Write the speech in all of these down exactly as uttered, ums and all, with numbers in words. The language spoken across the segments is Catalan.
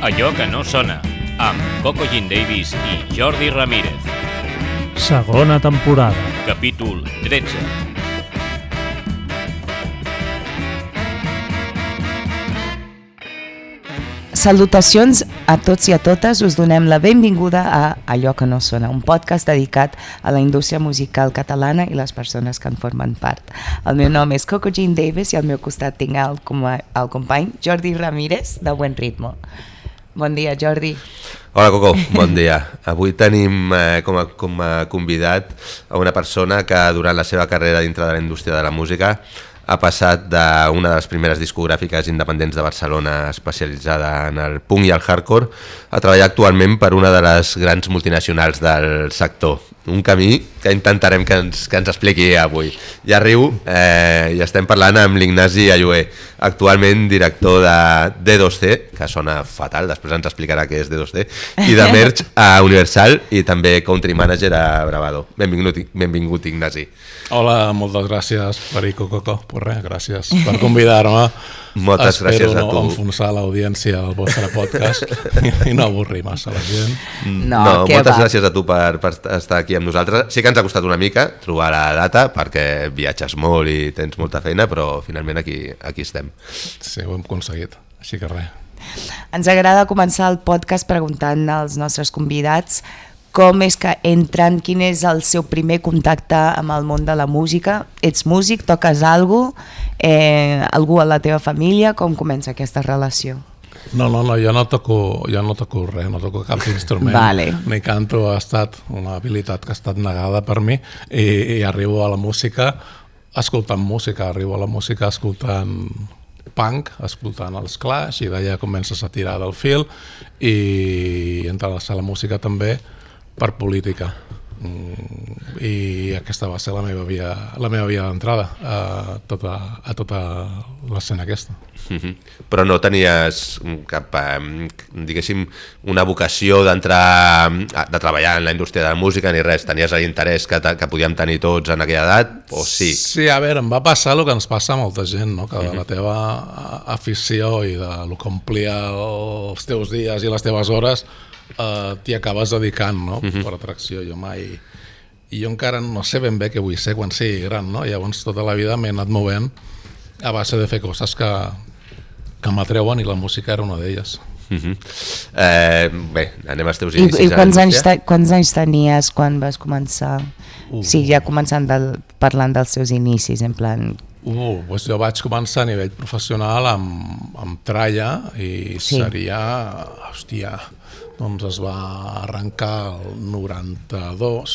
Allò que no sona, amb Coco Jean Davis i Jordi Ramírez. Segona temporada. Capítol tretze. Salutacions a tots i a totes, us donem la benvinguda a Allò que no sona, un podcast dedicat a la indústria musical catalana i les persones que en formen part. El meu nom és Coco Jean Davis i al meu costat tinc el, el company Jordi Ramírez de Buen Ritmo. Bon dia, Jordi. Hola, Coco, bon dia. Avui tenim eh, com, a, com a convidat a una persona que durant la seva carrera dintre de la indústria de la música ha passat d'una de les primeres discogràfiques independents de Barcelona especialitzada en el punk i el hardcore a treballar actualment per una de les grans multinacionals del sector. Un camí que intentarem que ens, que ens expliqui avui. Ja riu, eh, i estem parlant amb l'Ignasi Allué, actualment director de D dos C, que sona fatal, després ens explicarà què és D dos C, i de Merch a Universal i també country manager a Bravado. Benvingut, benvingut Ignasi. Hola, moltes gràcies per i Coco, pues res, gràcies per convidar-me. Moltes gràcies a tu. Espero no enfonsar l'audiència al vostre podcast i no avorrir massa la gent. No, no moltes va? gràcies a tu per, per estar aquí amb nosaltres. Sí que ens ha costat una mica trobar la data perquè viatges molt i tens molta feina, però finalment aquí, aquí estem. Sí, ho hem aconseguit, així que res. Ens agrada començar el podcast preguntant als nostres convidats com és que entren, quin és el seu primer contacte amb el món de la música. Ets músic, toques alguna cosa, eh, algú a la teva família, com comença aquesta relació? No, no, no, jo no toco, jo no toco res, no toco cap instrument, vale. Ni canto, ha estat una habilitat que ha estat negada per mi i, i arribo a la música escoltant música, arribo a la música escoltant punk, escoltant els Clash i d'allà comences a tirar del fil i entres a la música també per política i aquesta va ser la meva via, la meva via d'entrada a tota, a tota l'escena aquesta. Mm-hmm. Però no tenies cap, diguéssim, una vocació d'entrar, de treballar en la indústria de la música ni res, tenies l'interès que, que podíem tenir tots en aquella edat, o sí? Sí, a veure, em va passar el que ens passa a molta gent, no? Que de la teva afició i de lo que omplia els teus dies i les teves hores Uh, t'hi acabes dedicant, no? Uh-huh. Per atracció. Jo mai... I jo encara no sé ben bé què vull ser quan sigui gran, no? Llavors tota la vida m'he anat movent a base de fer coses que, que m'atreuen i la música era una d'elles. Uh-huh. eh, bé, anem als teus inicis. I, i quants, anys te, quants anys tenies quan vas començar? Uh. Sí, ja començant del, parlant dels seus inicis, en plan... Uh, doncs jo vaig començar a nivell professional amb, amb tralla i sí. Seria... Hòstia... doncs es va arrencar el noranta-dos,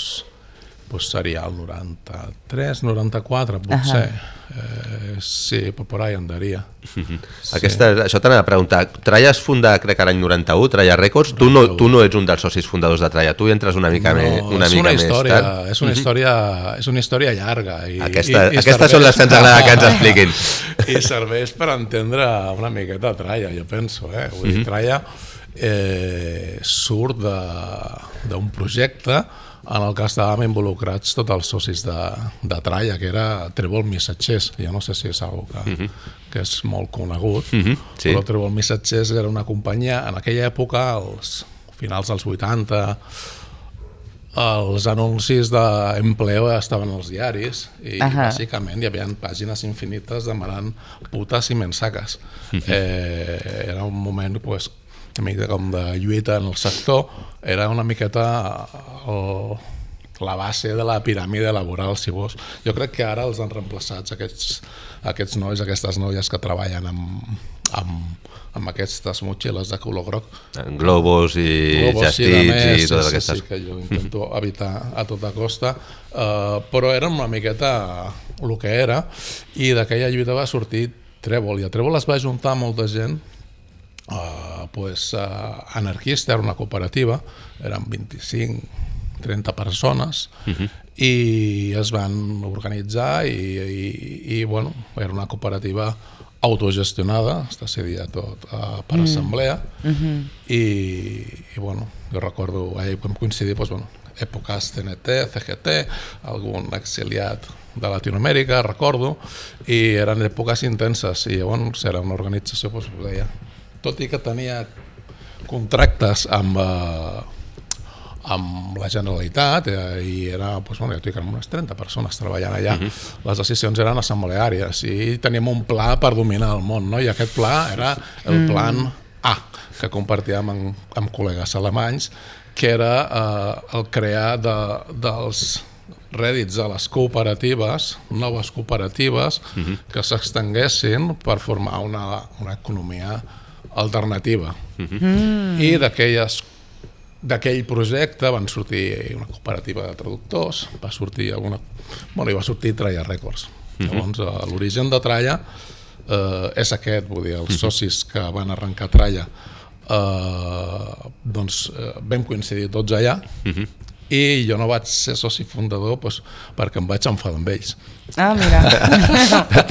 doncs seria el noranta-tres, noranta-quatre, potser. Uh-huh. eh, sí, però per ahí andaria. Uh-huh. Sí. Aquesta, això t'anava a preguntar, Tralla es funda, crec que l'any noranta-u, Tralla Records, tu no, tu no ets un dels socis fundadors de Tralla, tu hi entres una mica, no, més, una és mica una història, més tard. És una, història, és una història llarga. I, Aquesta, i, i aquestes serveix, són les que ens agrada que ens expliquin. I serveix per entendre una miqueta Tralla, jo penso. Eh? Vull dir, uh-huh. Tralla eh, surt d'un projecte en el que estàvem involucrats tots els socis de, de Tralla, que era Trèvol Missatgers. Jo no sé si és una cosa que, uh-huh. que és molt conegut, uh-huh. sí. Però Trèvol Missatgers era una companyia, en aquella època, als finals dels vuitanta, els anuncis d'empleo estaven als diaris i uh-huh. bàsicament hi havia pàgines infinites demanant putes i mensaques. Uh-huh. eh, era un moment pues, una mica com de lluita en el sector, era una miqueta el, la base de la piràmide laboral, si vols. Jo crec que ara els han reemplaçat aquests, aquests nois, aquestes noies que treballen amb, amb, amb aquestes motxilles de color groc. Globos i Just Eats i totes sí, aquestes. Sí, que jo intento evitar a tota costa, uh, però era una miqueta el que era, i d'aquella lluita va sortir Trèvol, i a Trèvol es va juntar molta gent. Uh, pues, uh, anarquista, era una cooperativa, eren vint-i-cinc trenta persones, uh-huh. i es van organitzar i, i, i bueno, era una cooperativa autogestionada, està cedia tot uh, per mm. assemblea, uh-huh. i, i bueno, jo recordo, ahir vam coincidir, doncs, bueno, èpoques C N T, C G T, algun exiliat de Latinoamèrica, recordo, i eren èpoques intenses, i llavors era una organització, doncs, ho deia, tot i que tenia contractes amb, eh, amb la Generalitat eh, i era, doncs, bueno, jo dic, unes trenta persones treballant allà. Uh -huh. Les decisions eren assembleàries i teníem un pla per dominar el món, no? I aquest pla era el plan A, que compartíem amb, amb col·legues alemanys, que era eh, el crear de, dels rèdits de les cooperatives, noves cooperatives, uh-huh. que s'extenguessin per formar una, una economia alternativa. Uh-huh. mm. I d'aquelles d'aquell projecte van sortir una cooperativa de traductors, va sortir alguna, bueno, i va sortir Tralla Records. Uh-huh. Llavors, l'origen de Tralla eh, és aquest, vull dir, els uh-huh. socis que van arrencar Tralla eh, doncs eh, vam coincidir tots allà. Uh-huh. I jo no vaig ser soci fundador doncs, perquè em vaig enfadar amb ells. Ah, mira.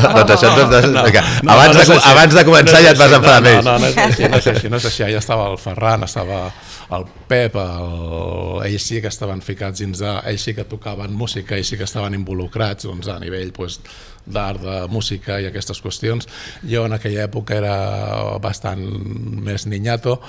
Doncs això no és no, no, abans, no, no de, abans de començar no ja et vas enfadar no, amb ells. No, no, no és així, no és així, no és així. Allà estava el Ferran, estava el Pep, el... ells sí que estaven ficats dins de... ells sí que tocaven música, ells sí que estaven involucrats doncs, a nivell doncs, d'art, de música i aquestes qüestions. Jo en aquella època era bastant més niñato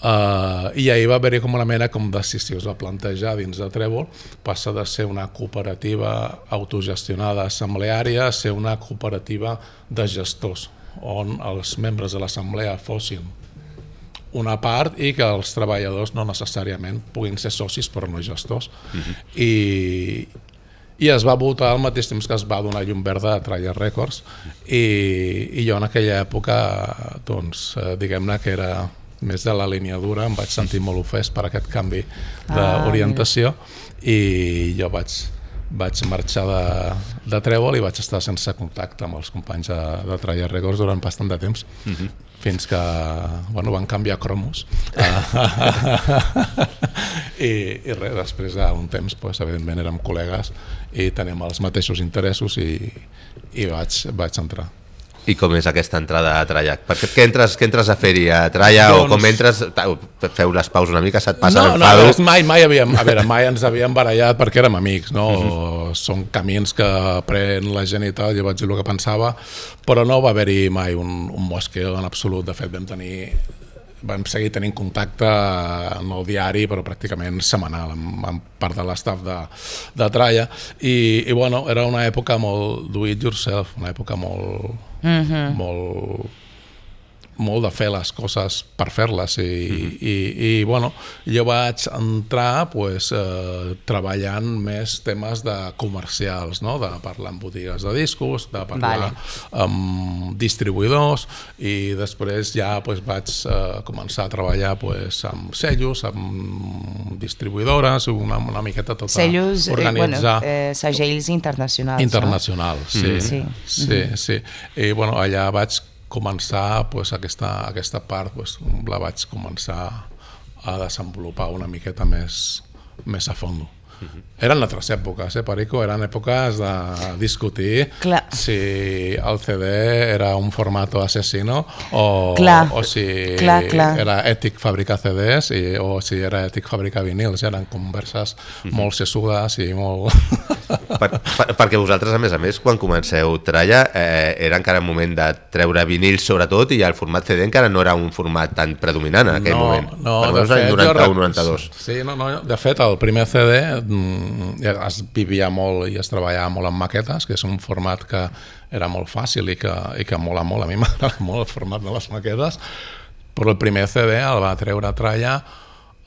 eh, i ahir va haver-hi com una mena com de si es va plantejar dins de Trèvol, passa de ser una cooperativa autogestionada assembleària a ser una cooperativa de gestors, on els membres de l'assemblea fossin una part i que els treballadors no necessàriament puguin ser socis però no gestors. Uh-huh. I, i es va votar al mateix temps que es va donar llum verda a Tralla Records i, i jo en aquella època doncs diguem-ne que era més de la línia dura, em vaig sentir molt ofès per aquest canvi d'orientació ah, i jo vaig vaig marxar de, de Trèvol i vaig estar sense contacte amb els companys de, de Tralla Records durant bastant de temps. Uh-huh. Fins que bueno, van canviar cromos I, i res, després d'un temps pues, evidentment érem col·legues i teníem els mateixos interessos i, i vaig, vaig entrar. I com és aquesta entrada a Tralla? Perquè què entres, què entres a fer-hi a Tralla doncs... o com entres, feu les paus una mica, se't passa no, l'enfado? No, mai, mai havíem, a veure, mai ens havíem barallat perquè érem amics, no? Uh-huh. Són camins que pren la gent i tal, jo vaig dir el que pensava, però no va haver-hi mai un, un mosqueo en absolut. De fet, vam tenir vam seguir tenint contacte no diari però pràcticament setmanal amb, amb part de l'estaf de, de Tralla i, i bueno, era una època molt do it yourself, una època molt mm-hmm. molt molt de fer les coses per fer-les i, mm-hmm. i, i bueno, jo vaig entrar pues, eh, treballant més temes de comercials, no? De parlar amb botigues de discos, de parlar vale. amb distribuïdors i després ja pues, vaig eh, començar a treballar pues, amb sellos, amb distribuïdores, una, una miqueta tota sellos, organitzar... Eh, bueno, eh, segells internacionals. Internacionals, no? sí. Mm-hmm. Sí, sí, mm-hmm. sí. I bueno, allà vaig començar pues, aquesta, aquesta part pues, la vaig començar a desenvolupar una miqueta més, més a fons. Uh-huh. Eren altres èpoques, eh, Perico? Eren èpoques de discutir clar. si el C D era un formato asesino o, o si clar, clar. era ètic fabricar C Ds i, o si era ètic fabricar vinils. Eren converses uh-huh. molt sessudes i molt... Per, per, perquè vosaltres, a més a més, quan comenceu Tralla, eh, era encara un moment de treure vinils sobretot i el format C D encara no era un format tan predominant en aquell no, moment. No, per de fet, noranta-u noranta-dos. Sí, no, no, de fet, el primer C D es vivia molt i es treballava molt amb maquetes, que és un format que era molt fàcil i que, i que mola molt. A mi m'agrada molt el format de les maquetes, però el primer C D el va treure a Tralla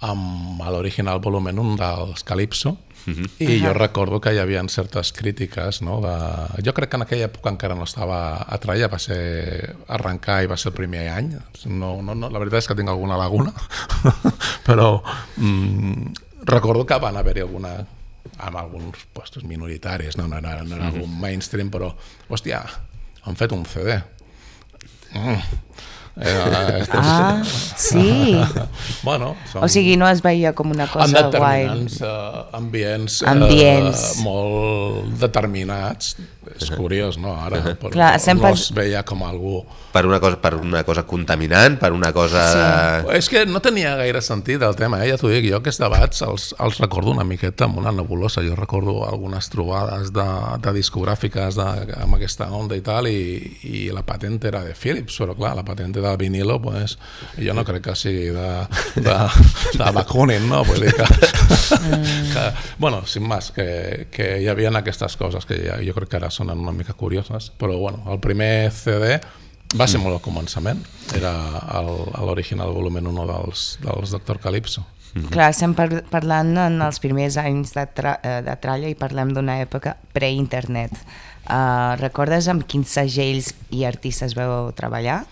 amb l'original volumen un dels Calypso. Uh-huh. I uh-huh. jo recordo que hi havia certes crítiques, no? De... jo crec que en aquella època encara no estava a Tralla, va ser arrencar i va ser el primer any, no, no, no, la veritat és que tinc alguna laguna però mm, recordo que van haver-hi alguna amb alguns puestos minoritaris, no, no era, no era uh-huh. algun mainstream, però hòstia, han fet un C D mm. Eh, ah, sí. Bueno, som... o sigui, no es veia com una cosa guai. En determinants uh, ambients, ambients. Uh, molt determinats. És curiós, no? Ara però clar, no, sempre... no es veia com algú... Per una cosa, per una cosa contaminant, per una cosa... Sí. És que no tenia gaire sentit el tema, eh? Ja t'ho dic, jo aquests debats els, els recordo una miqueta amb una nebulosa. Jo recordo algunes trobades de, de discogràfiques de, amb aquesta onda i tal, i, i la patent era de Philips, però clar, la patent de del vinilo, pues, jo no crec que sigui de, de, de Bakunin, no? Vull dir que, que bueno, sin más, que, que hi havia aquestes coses que ja, jo crec que ara sonen una mica curioses, però bueno, el primer C D va ser molt al començament, era l'original volumen un dels, dels Doctor Calypso. Mm-hmm. Clar, estem par parlant en els primers anys de, tra de tralla i parlem d'una època pre-internet. Uh, recordes amb quins segells i artistes veu treballar?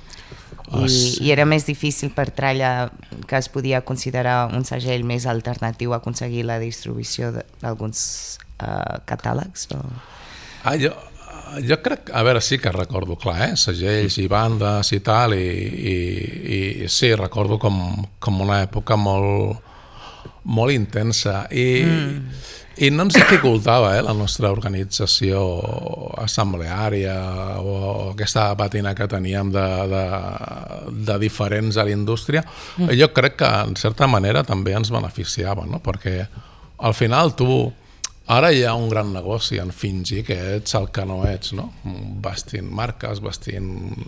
I, oh, sí. I era més difícil per tralla, que es podia considerar un segell més alternatiu, aconseguir la distribució d'alguns uh, catàlegs? O... Ah, jo... Jo crec, a veure, sí que recordo, clar, eh? Segells i bandes i tal, i, i, i sí, recordo com, com una època molt, molt intensa, i, mm. i no ens dificultava eh, la nostra organització assembleària o aquesta patina que teníem de, de, de diferents a la indústria. Mm. Jo crec que, en certa manera, també ens beneficiava, no? Perquè al final tu... Ara hi ha un gran negoci en fingir que ets el que no ets, no? Vestint marques, vestint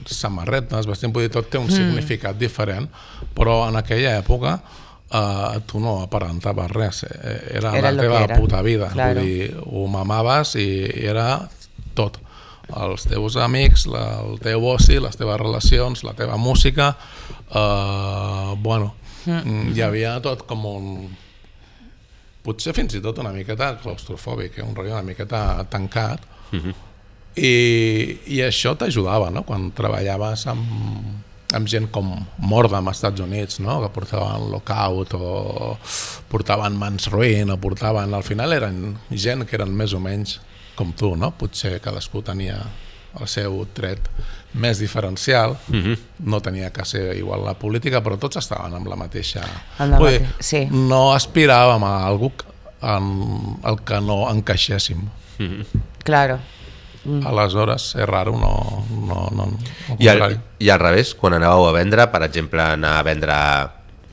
samarretes, vestint... Vull dir, tot té un mm. significat diferent, però en aquella època eh, tu no aparentaves res, era, era la teva era. puta vida. Claro. Vull dir, ho mamaves i era tot. Els teus amics, la, el teu oci, les teves relacions, la teva música... Eh, bueno, mm. hi havia tot com un... potser fins i tot una miqueta claustrofòbic, un rotllo una miqueta tancat, uh-huh. I, i això t'ajudava, no? Quan treballaves amb, amb gent com Mordam als Estats Units, no? Que portaven Lookout o portaven Mans Ruin, o portaven... Al final eren gent que eren més o menys com tu, no? Potser cadascú tenia el seu tret més diferencial, uh-huh. No tenia que ser igual la política, però tots estaven amb la mateixa... La mate... dir, sí. No aspiràvem a algú en el que no encaixéssim. Uh-huh. Claro. Mm. Aleshores, és raro, no... no, no, no I, al, I al revés, quan anàveu a vendre, per exemple, anar a vendre...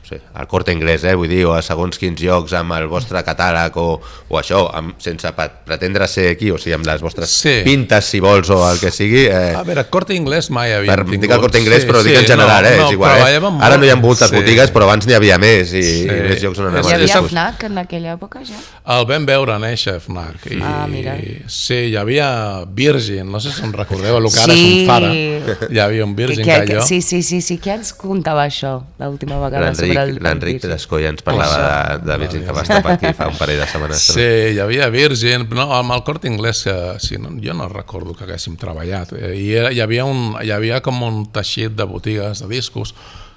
Sí, al Corte Inglés, eh, vull dir, o a segons quins llocs amb el vostre catàleg o, o això, amb, sense pretendre ser aquí, o sigui, amb les vostres sí. pintes, si vols, o el que sigui. Eh, a veure, Corte Inglés mai havia per, tingut. Dic el Corte Inglés, sí, però sí, dic en general, no, eh, no, és igual. Eh? Ara no hi ha moltes sí. botigues, però abans n'hi havia més i, sí. i més llocs on anàvem. Hi havia FNAC en aquella època, ja? El vam veure néixer, FNAC. I, ah, mira. Sí, hi havia Virgin, no sé si us recordeu, el que ara sí. és un Zara. Hi havia un Virgin, que, que, que Sí, sí, sí, sí, què ens contava això l'última vegada sobre el L'Enric Descolla ens parlava de, de Virgin, que va estar per aquí fa un parell de setmanes. Sí, hi havia Virgin, no, amb el Corte Inglés, que, sí, no, jo no recordo que haguéssim treballat. I hi havia, un, hi havia com un teixit de botigues de discos,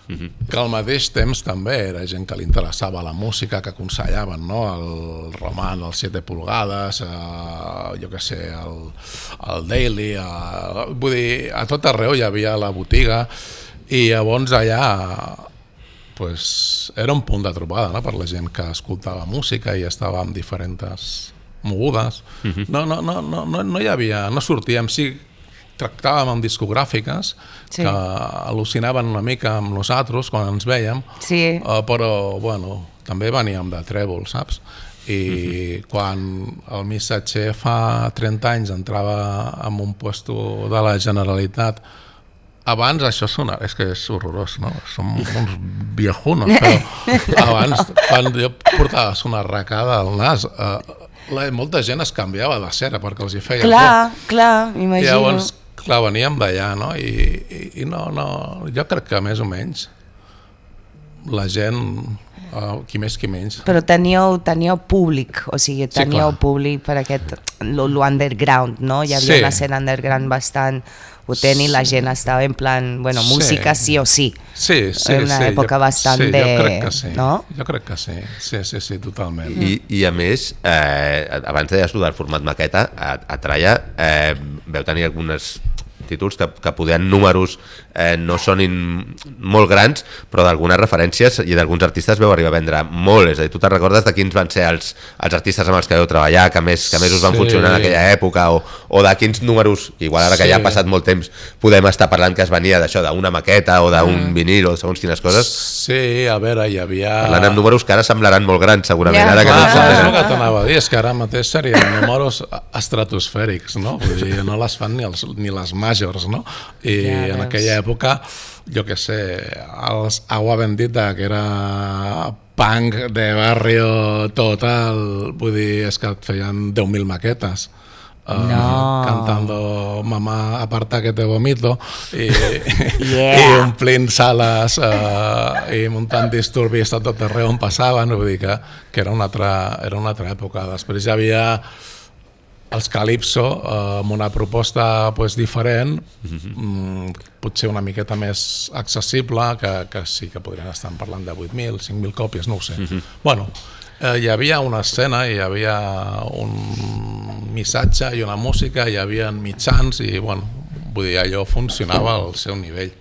uh-huh. que al mateix temps també era gent que li interessava la música, que aconsellaven, no? El Roman, els siete pulgades, eh, jo què sé, el, el Daily, eh, vull dir, a tot arreu hi havia la botiga, i llavors allà... Pues era un punt de trobada, no? Per la gent que escoltava música i estava amb diferents mogudes. Uh-huh. no, no, no, no, no hi havia, no sortíem, sí, tractàvem amb discogràfiques sí. que al·lucinaven una mica amb nosaltres quan ens vèiem, sí. uh, però bueno, també veníem de trèvol, saps? I uh-huh. quan el missatger fa trenta anys entrava en un puesto de la Generalitat. Abans això sona, és que és horrorós, no? Som uns viejunos, però abans, quan jo portava una arracada al nas, eh, la, molta gent es canviava de cera perquè els hi feia clar, por. Clar, imagino. I llavors, clar, veníem d'allà, no? I, i, I no, no, jo crec que més o menys la gent, uh, qui més qui menys. Però teníeu, teníeu públic, o sigui, teníeu sí, públic per aquest, l'underground, no? Hi havia sí. una escena underground bastant potent i la gent estava en plan, bueno, sí. música sí o sí. Sí, sí, en una sí. època jo, bastant sí, de... Jo crec que sí, no? jo crec que sí, sí, sí, sí totalment. I, i a més, eh, abans deies tu del format maqueta, a, a Tralla eh, veu tenir algunes títols que, que poder en números eh, no sonin molt grans, però d'algunes referències i d'alguns artistes veu arribar a vendre molt. És a dir, tu te'n recordes de quins van ser els, els artistes amb els que veu treballar, que més, que més us van sí. funcionar en aquella època, o, o de quins números, igual ara sí. que ja ha passat molt temps, podem estar parlant que es venia d'això, d'una maqueta o d'un mm. vinil o segons quines coses. Sí, a veure, hi havia... Parlant amb números que ara semblaran molt grans, segurament. Ja, ara que clar, no és el que t'anava a dir, és que ara mateix serien números estratosfèrics, no? Vull dir, no les fan ni, els, ni les màgiques majors, no? I ja, en aquella època, jo què sé, els Agua Bendita, que era punk de barrio total, vull dir, és que et feien deu mil maquetes. Uh, no. Cantando Mamá aparta que te vomito i, yeah. i omplint sales uh, i muntant disturbis a tot arreu on passaven, vull dir que, que era, una altra, era una altra època. Després hi havia els Calypso uh, amb una proposta pues, diferent, mm, potser una miqueta més accessible, que, que sí que podrien estar parlant de vuit mil, cinc mil còpies, no ho sé. Bueno, Eh, hi havia una escena, hi havia un missatge i una música, hi havia mitjans i, bueno, vull dir, allò funcionava al seu nivell.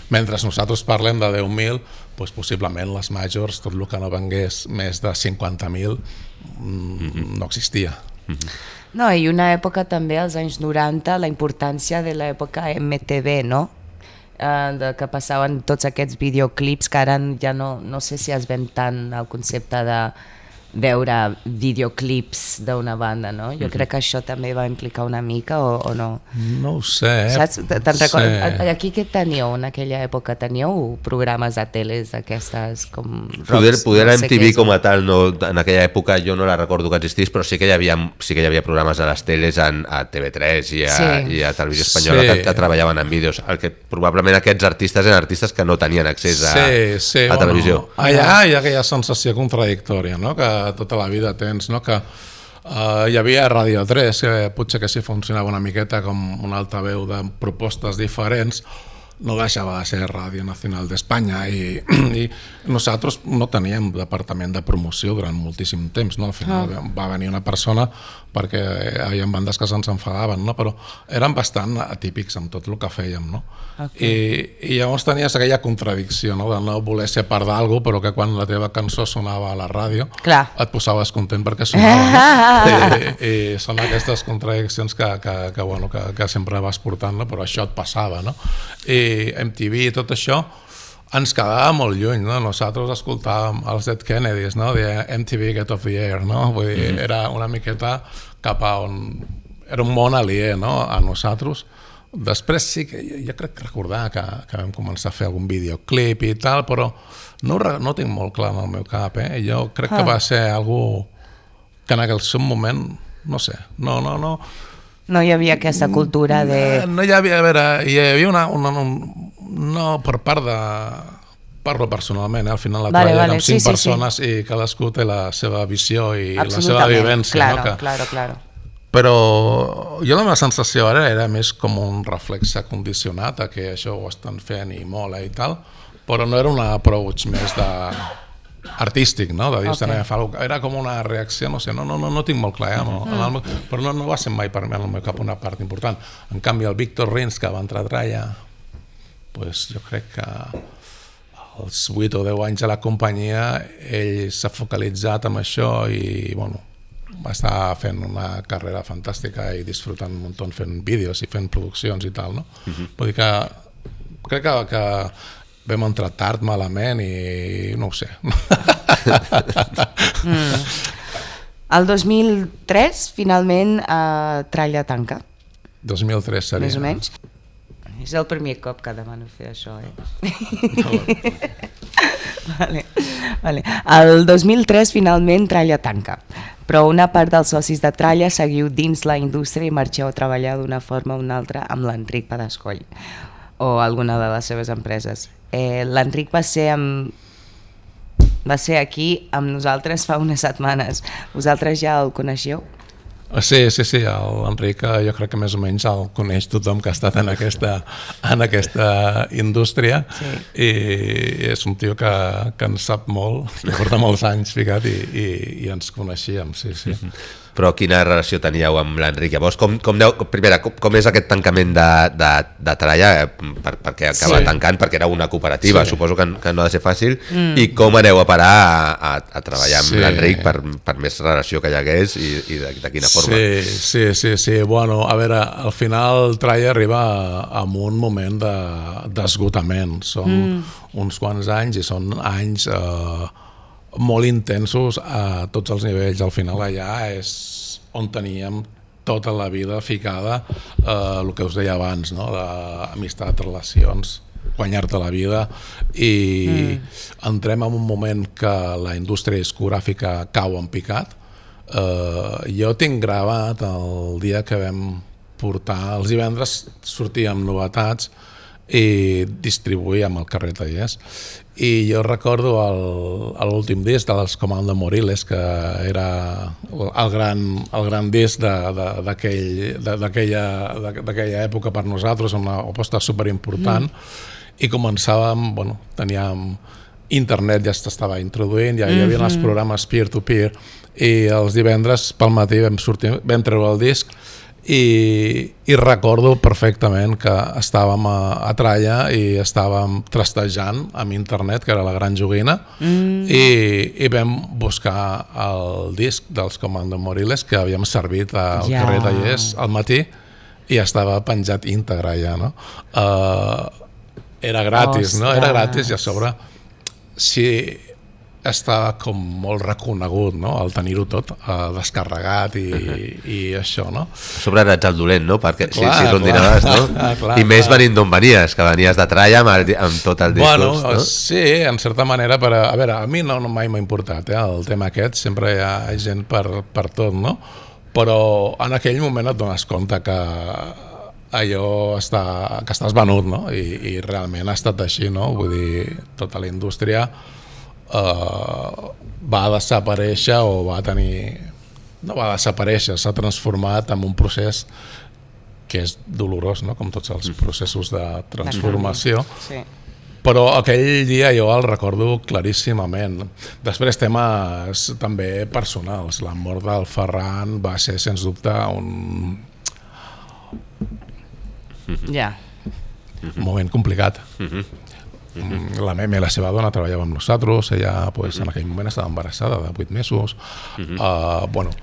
Mentre nosaltres parlem de deu mil, doncs possiblement les majors, tot el que no vengués més de cinquanta mil, mm, no existia. No, i una època també, als anys noranta, la importància de l'època M T V, no? Uh, de que passaven tots aquests videoclips que ara ja no, no sé si es ven tant el concepte de veure videoclips d'una banda, no? Jo crec que això també va implicar una mica o, o no? No ho sé. Saps? Te'n recordes? Sí. Aquí què teníeu en aquella època? Teníeu programes de teles d'aquestes com rocs? Poder, poder no M sé T V què, com a tal, no, en aquella època jo no la recordo que existís, però sí que hi havia, sí que hi havia programes a les teles en, a T V tres i a, sí. i a Televisió Espanyola sí. que, que treballaven en vídeos. El que probablement aquests artistes eren artistes que no tenien accés a, sí, sí, a televisió. Bueno, allà hi ha aquella sensació contradictòria, no? Que tota la vida tens, no? Que uh, hi havia Ràdio tres, que potser que sí funcionava una miqueta com un altaveu de propostes diferents, no deixava de ser Ràdio Nacional d'Espanya i, i nosaltres no teníem departament de promoció durant moltíssim temps, no? Al final oh. va venir una persona perquè hi ha bandes que se'ns enfadaven, no? Però eren bastant atípics amb tot el que fèiem, no? Okay. I, i llavors tenies aquella contradicció, no? De no voler ser part d'algú, però que quan la teva cançó sonava a la ràdio Clar. Et posaves content perquè sonava, no? I, i són aquestes contradiccions que, que, que, bueno, que, que sempre vas portant, no? Però això et passava, no? I M T V i tot això ens quedava molt lluny, no? Nosaltres escoltàvem els Dead Kennedys, no? De M T V Get Off the Air, no? Vull dir, mm-hmm. era una miqueta cap a on... Era un món aliè, no? A nosaltres. Després sí que jo crec recordar que, que vam començar a fer algun videoclip i tal, però no, no tinc molt clar en el meu cap, eh? Jo crec ah. que va ser algú que en aquell seu moment, no sé, no, no, no... No hi havia aquesta cultura de... No, no hi havia, a veure, hi havia una... una, una no, per part de... Parlo personalment, eh? Al final la vale, treballen vale, amb cinc sí, persones sí, sí. I cadascú té la seva visió i la seva vivència. Claro, no? Que... claro, claro. Però jo la meva sensació ara era més com un reflex condicionat a que això ho estan fent i mola i tal, però no era un approach més de... artístic, no? De dir, okay. Era com una reacció, no sé, no, no, no, no tinc molt clar, eh? No, mm. el, però no, no va ser mai per mi en el meu cap una part important. En canvi, el Víctor Rins, que va entrar a Tralla, pues, jo crec que als vuit o deu anys a la companyia ell s'ha focalitzat en això i, bueno, va estar fent una carrera fantàstica i disfrutant un munt fent vídeos i fent produccions i tal, no? Mm-hmm. Vull dir que crec que, que vam entrar tard, malament i no ho sé. mm. El dos mil tres, finalment, uh, Tralla tanca. dos mil tres seria. Més o menys. És el primer cop que demano fer això, eh? No. vale, vale. El dos mil tres, finalment, Tralla tanca. Però una part dels socis de Tralla seguiu dins la indústria i marxeu a treballar d'una forma o una altra amb l'Enric Padascoll o alguna de les seves empreses. Eh, L'Enric va ser amb... va ser aquí amb nosaltres fa unes setmanes. Vosaltres ja el coneixeu? Sí, sí, sí, l'Enric jo crec que més o menys el coneix tothom que ha estat en aquesta, en aquesta indústria sí. I és un tio que, que en sap molt, que porta molts anys ficat i, i, i ens coneixíem, sí, sí. Però quina relació teníeu amb l'Enric? Llavors, com, com, deu, primera, com, com és aquest tancament de, de, de Tralla? Per, perquè acaba sí. tancant, perquè era una cooperativa, sí. suposo que, que no ha de ser fàcil, mm. i com aneu a parar a, a, a treballar amb sí. l'Enric per, per més relació que hi hagués i, i de, de quina forma? Sí, sí, sí, sí. Bueno, a veure, al final Tralla arriba a, a un moment d'esgotament. De, són mm. uns quants anys i són anys... Eh, molt intensos a tots els nivells. Al final allà és on teníem tota la vida ficada eh, el que us deia abans, no? D'amistat, relacions, guanyar-te la vida, i mm. entrem en un moment que la indústria discogràfica cau en picat. Eh, jo tinc gravat el dia que vam portar, els divendres sortíem novetats i distribuïem al carrer Tallers, i jo recordo l'últim disc dels Comando Moriles, que era el gran, el gran disc d'aquella època per nosaltres, una aposta superimportant, mm. i començàvem, bueno, teníem internet, ja s'estava introduint, ja hi havia mm-hmm. els programes peer-to-peer, i els divendres pel matí vam, sortir, vam treure el disc, I, i recordo perfectament que estàvem a, a Tralla i estàvem trastejant amb internet, que era la gran joguina, mm. i, i vam buscar el disc dels Comando Moriles que havíem servit al yeah. carrer Tallers al matí, i estava penjat íntegre ja, no? Uh, era gratis, Ostres. no? Era gratis, i a sobre si estava com molt reconegut, no? El tenir-ho tot uh, descarregat i, i això, no? A sobre eres el dolent, no? Perquè clar, si, si rondinaves, no? clar, I més clar. venint d'on venies, que venies de Tralla amb, el, amb tot el discurs, bueno, no? Sí, en certa manera, per a, a veure, a mi no, no mai m'ha importat eh, el tema aquest, sempre hi ha gent per, per tot, no? Però en aquell moment et dones compte que allò està, que estàs venut, no? I, i realment ha estat així, no? Vull dir, tota la indústria Uh, va desaparèixer o va tenir... no va desaparèixer, s'ha transformat en un procés que és dolorós, no? Com tots els processos de transformació. Sí. Però aquell dia jo el recordo claríssimament. Després temes també personals. La mort del Ferran va ser, sens dubte, un... Ja. un moment complicat. La Meme, la seva dona, treballava amb nosaltres, ella pues, en aquell moment estava embarassada de vuit mesos, uh, bueno,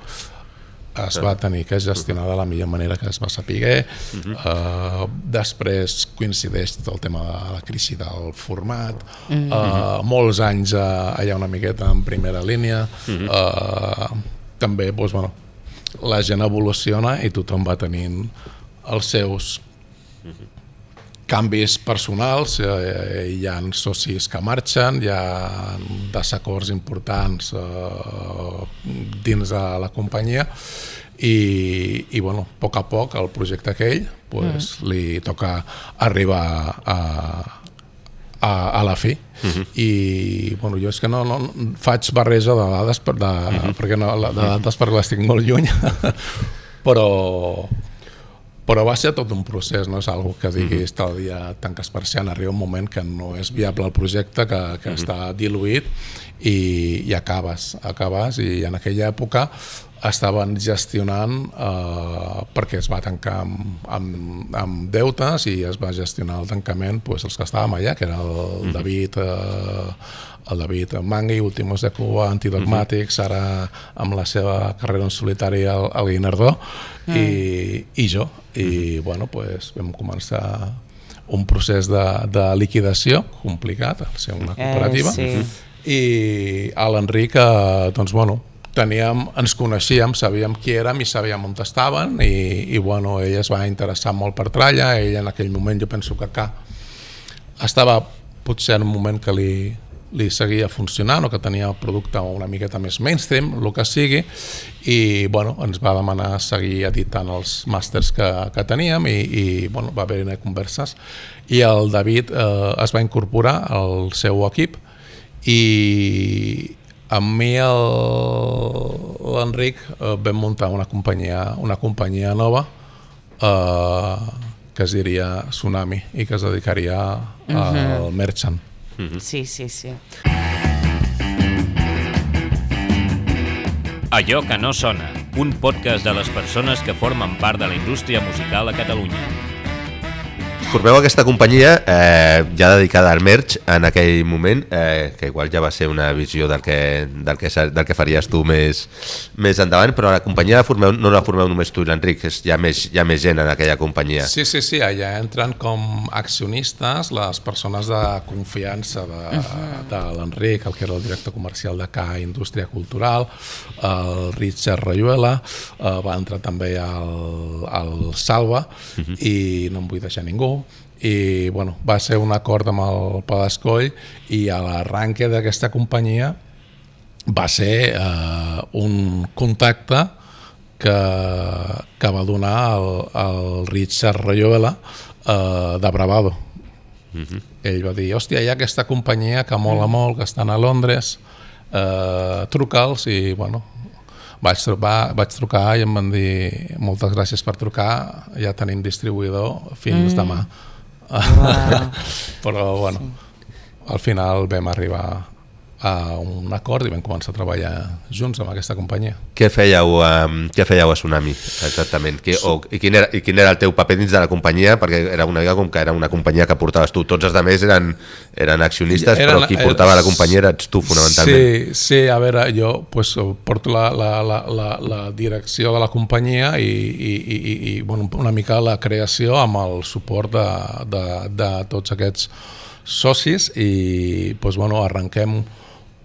es va tenir que gestionar de la millor manera que es va saber, uh, després coincideix tot el tema de la crisi del format, uh, molts anys uh, allà una miqueta en primera línia, uh, també pues, bueno, la gent evoluciona i tothom va tenint els seus canvis personals, eh, hi ha socis que marxen, hi ha desacords importants eh, dins de la companyia i, i bueno, a poc a poc el projecte aquell pues, mm. li toca arribar a, a, a la fi. Mm-hmm. I bueno, jo és que no, no faig barreja de dades, per, de, mm-hmm. perquè no, de dades perquè l'estic molt lluny, però... Però va ser tot un procés, no és algo que diguis tal dia tanques persiana, arriba un moment que no és viable el projecte, que, que mm-hmm. està diluït i, i acabes, acabes i en aquella època estaven gestionant eh, perquè es va tancar amb, amb, amb deutes i es va gestionar el tancament pues, els que estàvem allà, que era el mm-hmm. David eh, el David Mangui, Últimos de Cuba, Antidogmàtics, uh-huh. ara amb la seva carrera en solitari al, al Guinardó, mm. i, i jo. I uh-huh. bueno, pues, vam començar un procés de, de liquidació complicat, al ser una cooperativa, eh, sí. i a l'Enric, eh, doncs, bueno, teníem, ens coneixíem, sabíem qui érem i sabíem on estaven, i, i bueno, ell es va interessar molt per Tralla, ell en aquell moment, jo penso que acá estava potser en un moment que li li seguia funcionant o que tenia el producte una miqueta més mainstream, el que sigui, i bueno, ens va demanar seguir editant els màsters que, que teníem i, i bueno, va haver-hi converses i el David eh, es va incorporar al seu equip i amb mi l'Enric eh, vam muntar una companyia, una companyia nova eh, que es diria Tsunami i que es dedicaria al uh-huh. merchant. Mm-hmm. Sí, sí, sí. Allò que no sona, un podcast de les persones que formen part de la indústria musical a Catalunya. formeu aquesta companyia eh, ja dedicada al merch en aquell moment, eh, que igual ja va ser una visió del que, del que, del que faries tu més, més endavant, però la companyia la formeu, no la formeu només tu i l'Enric, hi ha més, hi ha més gent en aquella companyia. Sí, sí, sí, allà entren com accionistes les persones de confiança de, uh-huh. de l'Enric, el que era el director comercial de K Indústria Cultural, el Richard Rayuela, eh, va entrar també el, el Salva, uh-huh. i no em vull deixar ningú, i bueno, va ser un acord amb el Padascoll, i a l'arranque d'aquesta companyia va ser eh, un contacte que, que va donar el, el Richard Rayuela eh, de Bravado. Uh-huh. Ell va dir, hòstia, hi ha aquesta companyia que mola molt, que estan a Londres, eh, truca'ls, i bueno, vaig trucar, vaig trucar i em van dir moltes gràcies per trucar, ja tenim distribuïdor fins mm. demà. Wow. Però bueno, sí. Al final vam arribar a un acord i vam començar a treballar junts amb aquesta companyia. Què fèieu, um, què fèieu a Tsunami, exactament? Qui, o, i, quin era, I quin era el teu paper dins de la companyia? Perquè era una mica com que era una companyia que portaves tu. Tots els altres eren, eren accionistes, era, però qui portava la companyia eres tu, fonamentalment. Sí, sí, a veure, jo pues, porto la, la, la, la, la direcció de la companyia i, i, i, i bueno, una mica la creació amb el suport de, de, de tots aquests socis i pues, bueno, arrenquem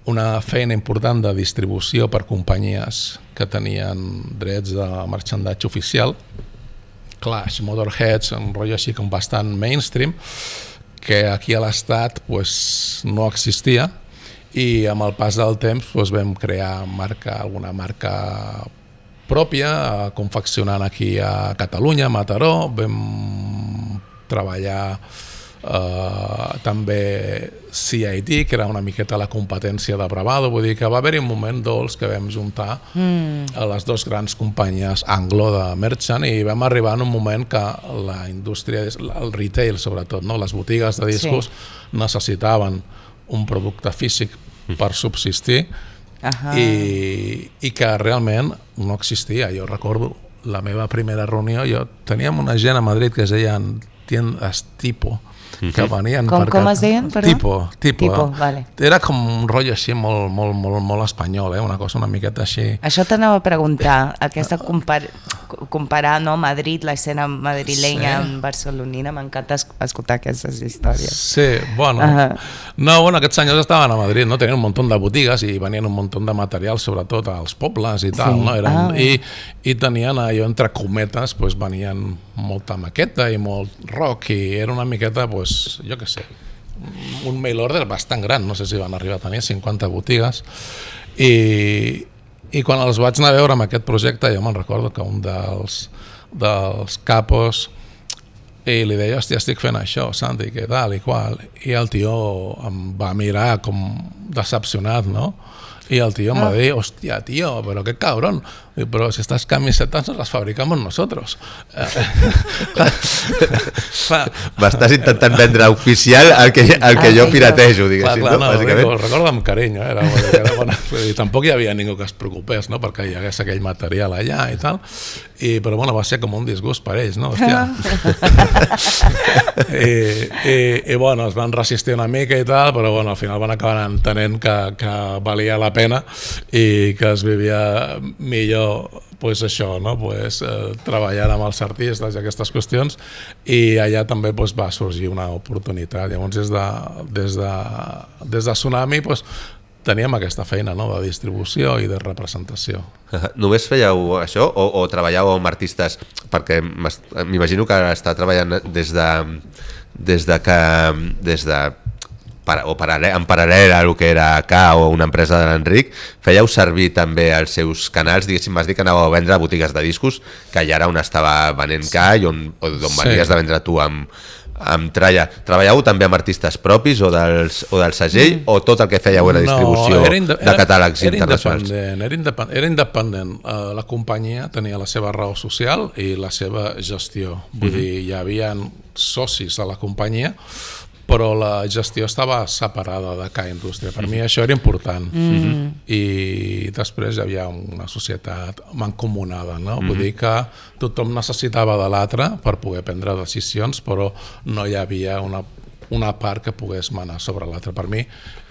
una feina important de distribució per companyies que tenien drets de marxandatge oficial, Clash, Motorheads, un rotllo així com bastant mainstream, que aquí a l'Estat pues, no existia, i amb el pas del temps pues, vam crear marca, alguna marca pròpia, confeccionant aquí a Catalunya, a Mataró, vam treballar Uh, també C I D, que era una miqueta la competència de Bravado, vull dir que va haver-hi un moment dolç que vam juntar mm. a les dues grans companyies anglo de merchant i vam arribar en un moment que la indústria, el retail sobretot, no? Les botigues de discos sí. necessitaven un producte físic per subsistir uh-huh. i, i que realment no existia. Jo recordo la meva primera reunió, jo teníem una gent a Madrid que es deien tiendas Tipo, que venien com, per... Com es deien? Perdó? Tipo, tipo. tipo vale. Era com un rotllo així molt, molt, molt, molt espanyol, eh? Una cosa una miqueta així. Això t'anava a preguntar, aquesta compar comparar no, Madrid, l'escena madrilenya sí. amb barcelonina, m'encanta escoltar aquestes històries. Sí, bueno. Uh-huh. No, bueno, aquests senyors estaven a Madrid, no? Tenien un munt de botigues i venien un munt de material, sobretot als pobles i tal, sí. no? Eren, ah, i, I tenien allò entre cometes, pues, venien molta maqueta i molt rock i era una miqueta, pues, jo què sé, un mail order bastant gran, no sé si van arribar a tenir cinquanta botigues i, i quan els vaig anar a veure amb aquest projecte jo me'n recordo que un dels, dels capos i li deia, hòstia, estic fent això, Santi, què tal i qual, i el tio em va mirar com decepcionat, no? I el tio em va dir, hòstia, tio, però qué cabrón, però si estas camisetas nos las fabricamos nosotros. M'estàs intentant vendre oficial el que, el que jo piratejo, diguéssim, clar, clar, no? no ho recordo amb carinyo, eh? era, era bona. I tampoc hi havia ningú que es preocupés, no? Perquè hi hagués aquell material allà i tal, i, però bueno, va ser com un disgust per ells, no? Hòstia. I, i, i bueno, es van resistir una mica i tal, però bueno, al final van acabar entenent que, que valia la pena i que es vivia millor pues això, no? pues, eh, treballant amb els artistes i aquestes qüestions i allà també pues, va sorgir una oportunitat. Llavors des de, des de, des de Tsunami pues, teníem aquesta feina, no? de distribució i de representació. Només fèieu això o, o treballàveu amb artistes? Perquè m'imagino que està treballant des de, des de que des de o en paral·lel a el que era K o una empresa de l'Enric, fèieu servir també els seus canals, diguéssim, vas dir que anàveu a vendre a botigues de discos, que allà era on estava venent K i on, on sí. venies de vendre tu amb, amb Tralla. Treballàveu també amb artistes propis o, dels, o del segell mm. o tot el que fèieu era distribució no, era de catàlegs era internacionals? Independent, era independent, era independent. Uh, la companyia tenia la seva raó social i la seva gestió. Vull mm-hmm. dir, hi havia socis a la companyia però la gestió estava separada de K Indústria. Per mi això era important. Mm. I després hi havia una societat mancomunada, no? Mm. Vull dir que tothom necessitava de l'altre per poder prendre decisions, però no hi havia una una part que pogués manar sobre l'altra. Per mi,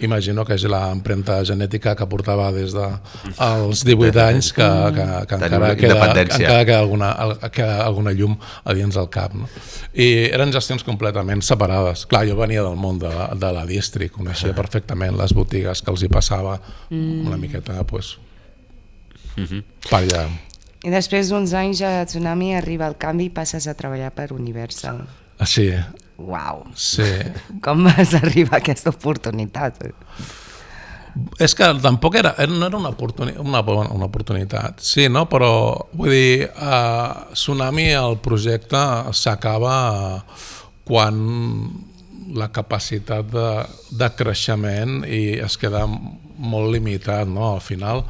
imagino que és l'empremta genètica que portava des dels divuit anys que, que, que encara, queda, encara queda, alguna, queda alguna llum a dins del cap. No? I eren gestions completament separades. Clar, jo venia del món de, de la distri, coneixia perfectament les botigues que els hi passava una miqueta pues, per allà. I després d'uns anys a Tsunami arriba el canvi i passes a treballar per Universal. Ah, sí. Uau! Sí. Com vas arribar a aquesta oportunitat? És que tampoc era, no era una, oportuni, una, una oportunitat, sí, no? Però vull dir, a Tsunami el projecte s'acaba quan la capacitat de, de creixement i es queda molt limitat, no? Al final,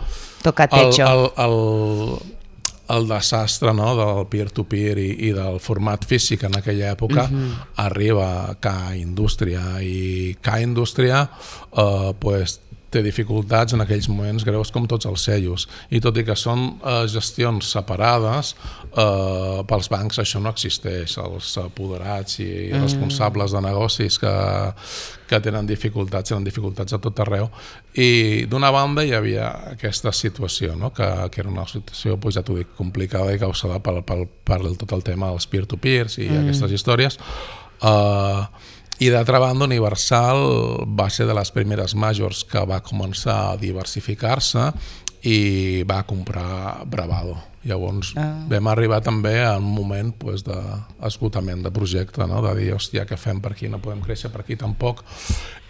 toca techo. El, el, el, el desastre, no? Del peer-to-peer i, i del format físic en aquella època uh-huh. arriba a K Indústria i K Indústria eh, pues, té dificultats en aquells moments greus com tots els sellos i tot i que són eh, gestions separades eh, pels bancs això no existeix, els apoderats i mm. responsables de negocis que, que tenen dificultats tenen dificultats a tot arreu i d'una banda hi havia aquesta situació no? que, que era una situació pues, ja t'ho dic, complicada i causada per, per, per tot el tema dels peer-to-peers i mm. aquestes històries eh, i d'altra banda Universal va ser de les primeres majors que va començar a diversificar-se i va comprar Bravado. Llavors ah. vam arribar també a un moment pues, d'esgotament de projecte, no? De dir, hòstia, què fem per aquí? No podem créixer per aquí tampoc.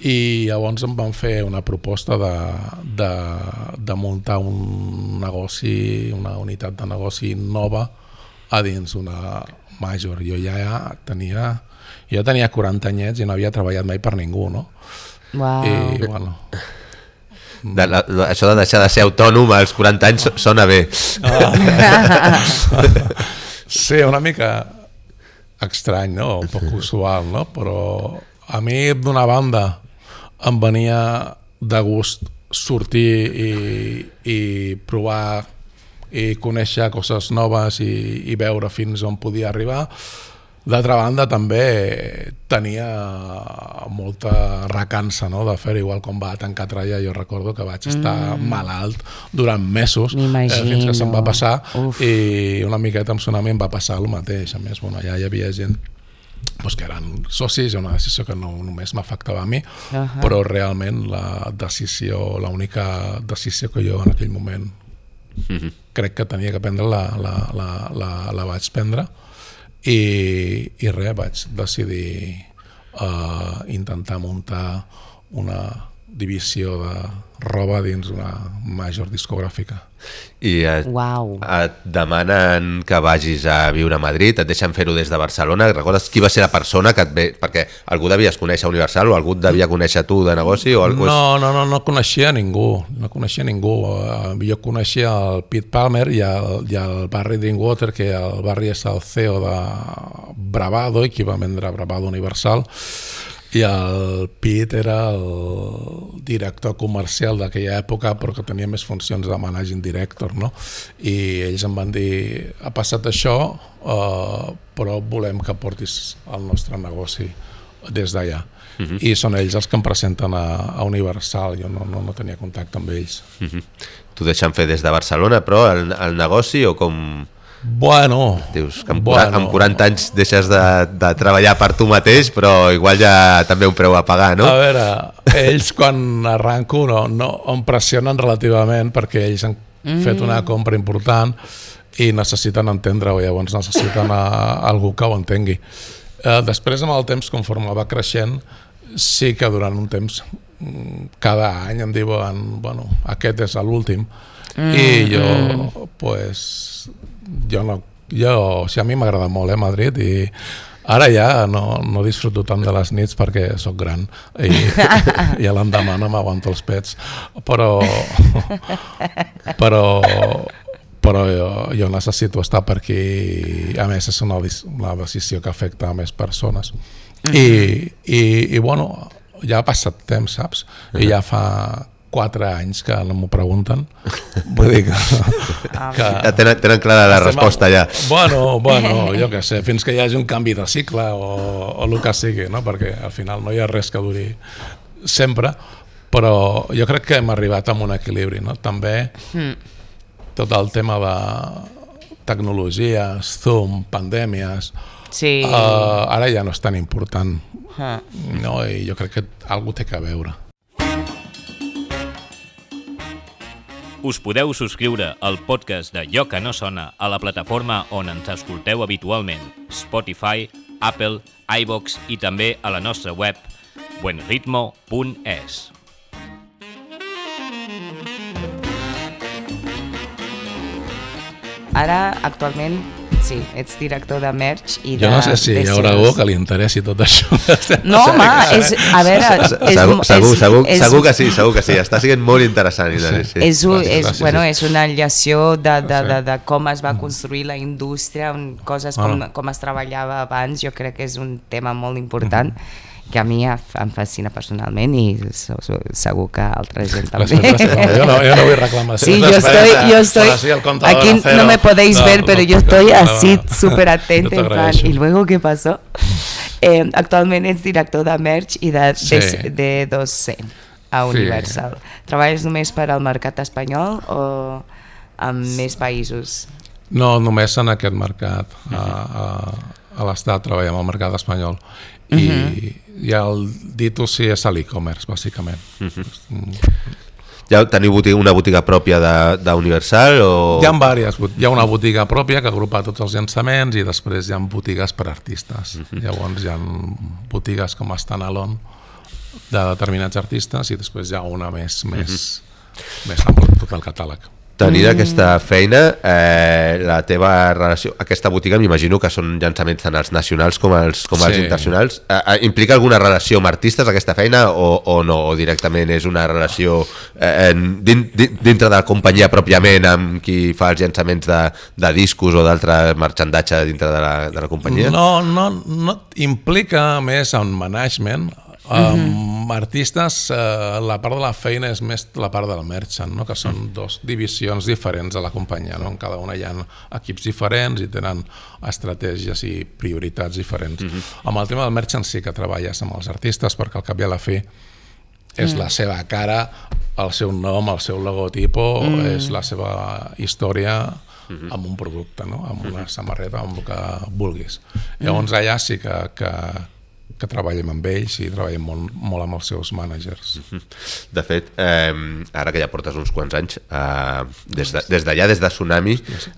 I llavors em van fer una proposta de, de, de muntar un negoci, una unitat de negoci nova a dins una major. Jo ja tenia... Jo tenia quaranta anyets i no havia treballat mai per ningú, no? Wow. I, bueno... De la, això de deixar de ser autònom als quaranta anys sona bé. Ah. Sí, una mica estrany, no? Un poc usual, no? Però a mi, d'una banda, em venia de gust sortir i, i provar i conèixer coses noves i, i veure fins on podia arribar. D'altra banda, també tenia molta recança no? De fer igual com va tancar Tralla. Jo recordo que vaig estar mm. malalt durant mesos eh, fins que se'm va passar. Uf. I una miqueta amb Tsunami em va passar el mateix. A més, bueno, allà hi havia gent pues, que eren socis, una decisió que no només m'afectava a mi, uh-huh. però realment la decisió, l'única decisió que jo en aquell moment uh-huh. crec que tenia que prendre la, la, la, la, la vaig prendre. I, i res, vaig decidir uh, intentar muntar una divisió de roba dins una major discogràfica. I et, wow. et demanen que vagis a viure a Madrid, et deixen fer-ho des de Barcelona. Recordes qui va ser la persona que et ve... Perquè algú devies conèixer Universal o algú et devia conèixer tu de negoci? O algú... No, no, no, no coneixia ningú. No coneixia ningú. Jo coneixia el Pete Palmer i el, i el Barry Drinkwater, que el Barry és el C E O de Bravado i qui va vendre Bravado Universal. I el Pete era el director comercial d'aquella època però que tenia més funcions de managing director, no? I ells em van dir ha passat això uh, però volem que portis el nostre negoci des d'allà. Uh-huh. I són ells els que em presenten a, a Universal. Jo no, no, no tenia contacte amb ells. Uh-huh. T'ho deixen fer des de Barcelona però el, el negoci o com... Bueno, dius que amb, bueno. amb quaranta anys deixes de, de treballar per tu mateix, però igual ja també un preu a pagar, no? A veure, ells quan arranco no, no em pressionen relativament perquè ells han mm. fet una compra important i necessiten entendre-ho, llavors necessiten a, a algú que ho entengui. Eh, després, amb el temps, conforme va creixent, sí que durant un temps, cada any em diuen, bueno, aquest és l'últim, mm. i jo, mm. pues... Jo no, jo, o sigui, a mi m'agrada molt eh, Madrid i ara ja no, no disfruto tant de les nits perquè sóc gran i, i a l'endemà no m'aguanto els pets però però però jo, jo necessito estar per aquí, a més és una, una decisió que afecta a més persones. Uh-huh. I, i, i bueno, ja ha passat temps, saps? Uh-huh. I ja fa quatre anys que no m'ho pregunten. Vull dir que... que ja tenen, tenen clara la resposta ja. Bueno, bueno, jo què sé, fins que hi hagi un canvi de cicle o, o el que sigui, no? Perquè al final no hi ha res que duri sempre, però jo crec que hem arribat a un equilibri, no? També tot el tema de tecnologies, Zoom, pandèmies, sí. uh, ara ja no és tan important, uh. no? I jo crec que algú té que veure. Us podeu subscriure al podcast de Allò que no sona a la plataforma on ens escolteu habitualment, Spotify, Apple, iVoox i també a la nostra web buen ritmo punt es. Ara, actualment, sí, ets director de merch i de... Jo no sé si hi haurà algú que li interessi tot això. No, home, és, a veure... És, segur, segur, és, segur, és, segur que sí, segur que sí. Està sent molt interessant. Sí. Sí. És, un, és, gràcies, bueno, sí. és una enllació de, de, de, de com es va construir la indústria, coses com, ah. com es treballava abans. Jo crec que és un tema molt important. Mm-hmm. que a mi em fascina personalment i segur que altra gent també. Jo no, jo no vull reclamar. Sí, yo estoy, yo estoy, aquí no me podéis no, ver, pero no, yo estoy no, así no, súper atenta en plan, ¿y luego qué pasó? Eh, actualment ets director de merch i de, sí. de, de dos C a Universal. Sí. Treballes només per al mercat espanyol o en més països? No, només en aquest mercat. A, a, a l'Estat treballem al mercat espanyol. I, uh-huh. i el D dos C és l'e-commerce, bàsicament. Uh-huh. Ja teniu botiga, una botiga pròpia d'Universal? O... Hi ha diverses. Hi ha una botiga pròpia que agrupa tots els llançaments i després hi ha botigues per artistes. Uh-huh. Llavors hi ha botigues com a standalone de determinats artistes i després hi ha una més, més, uh-huh. més amb tot el catàleg. Tenir aquesta feina, eh, la teva relació, aquesta botiga m'imagino que són llançaments tant els nacionals com els, com els sí. internacionals. Eh, implica alguna relació amb artistes aquesta feina o, o no? O directament és una relació eh, din, dintre de la companyia pròpiament amb qui fa els llançaments de, de discos o d'altre marxandatge dintre de la, de la companyia? No, no, no implica més en management. Um, mm-hmm. Artistes, uh, la part de la feina és més la part del merchant, no? Que són dos divisions diferents de la companyia, no? En cada una hi ha equips diferents i tenen estratègies i prioritats diferents. Mm-hmm. Amb el tema del merchant sí que treballes amb els artistes perquè al cap i a la fi és mm. la seva cara, el seu nom, el seu logotipo, mm. és la seva història mm-hmm. amb un producte, no? Amb una samarreta, amb el que vulguis. Mm. Llavors allà sí que, que que treballem amb ells i treballem molt, molt amb els seus managers. De fet, eh, ara que ja portes uns quants anys, eh, des d'allà, de, des, des de Tsunami,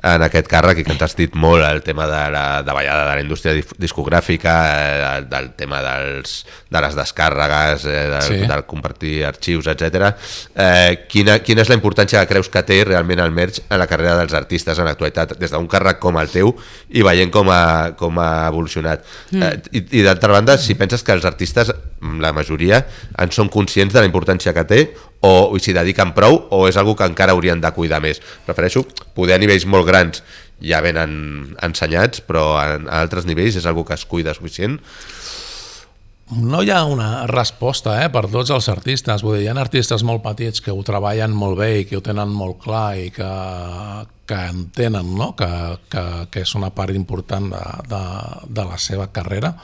en aquest càrrec, i que ens has dit molt el tema de la davallada de la indústria discogràfica, eh, del tema dels, de les descàrregues, eh, del, sí. del compartir arxius, etcètera. Eh, quina, quina és la importància que creus que té realment el merch en la carrera dels artistes en l'actualitat, des d'un càrrec com el teu i veient com ha, com ha evolucionat? Mm. Eh, I i d'altra banda, si penses que els artistes, la majoria, en són conscients de la importància que té o s'hi dediquen prou o és algo que encara haurien de cuidar més? Prefereixo poder a nivells molt grans ja venen ensenyats, però a altres nivells és algo que es cuida suficient? No hi ha una resposta eh, per tots els artistes. Vull dir, hi ha artistes molt petits que ho treballen molt bé i que ho tenen molt clar i que, que entenen, no? que, que, que és una part important de, de, de la seva carrera.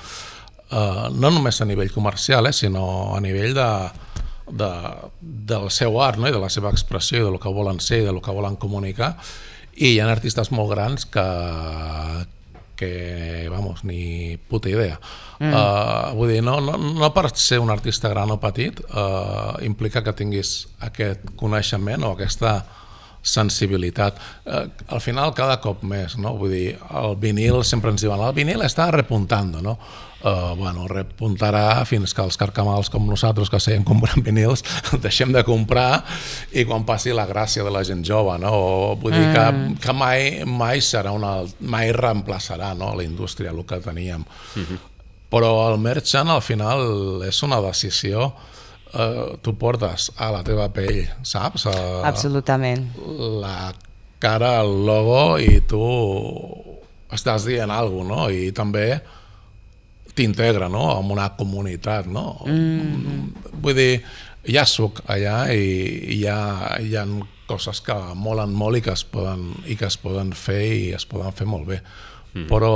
Uh, no només a nivell comercial, eh, sinó a nivell de, de, del seu art, no? I de la seva expressió, i del que volen ser, i del que volen comunicar. I hi ha artistes molt grans que, que vamos, ni puta idea. Mm. Uh, vull dir, no, no, no per ser un artista gran o petit uh, implica que tinguis aquest coneixement o aquesta sensibilitat. Uh, al final cada cop més, no? Vull dir, el vinil sempre ens diuen, el vinil està repuntando, no? Uh, bueno, repuntarà fins que els carcamals com nosaltres que seguim comprant vinils deixem de comprar i quan passi la gràcia de la gent jove, no? O, vull dir que, que mai, mai serà una, mai reemplaçarà, no? La indústria, el que teníem. Uh-huh. Però el merchant al final és una decisió. Uh, tu portes a la teva pell, saps? Uh, Absolutament. La cara al logo i tu estàs dient alguna cosa, no? I també t'integra, no?, en una comunitat, no? Mm-hmm. Vull dir, ja soc allà i hi ha, hi ha coses que molen molt i que es poden, i que es poden fer i es poden fer molt bé. Mm. Però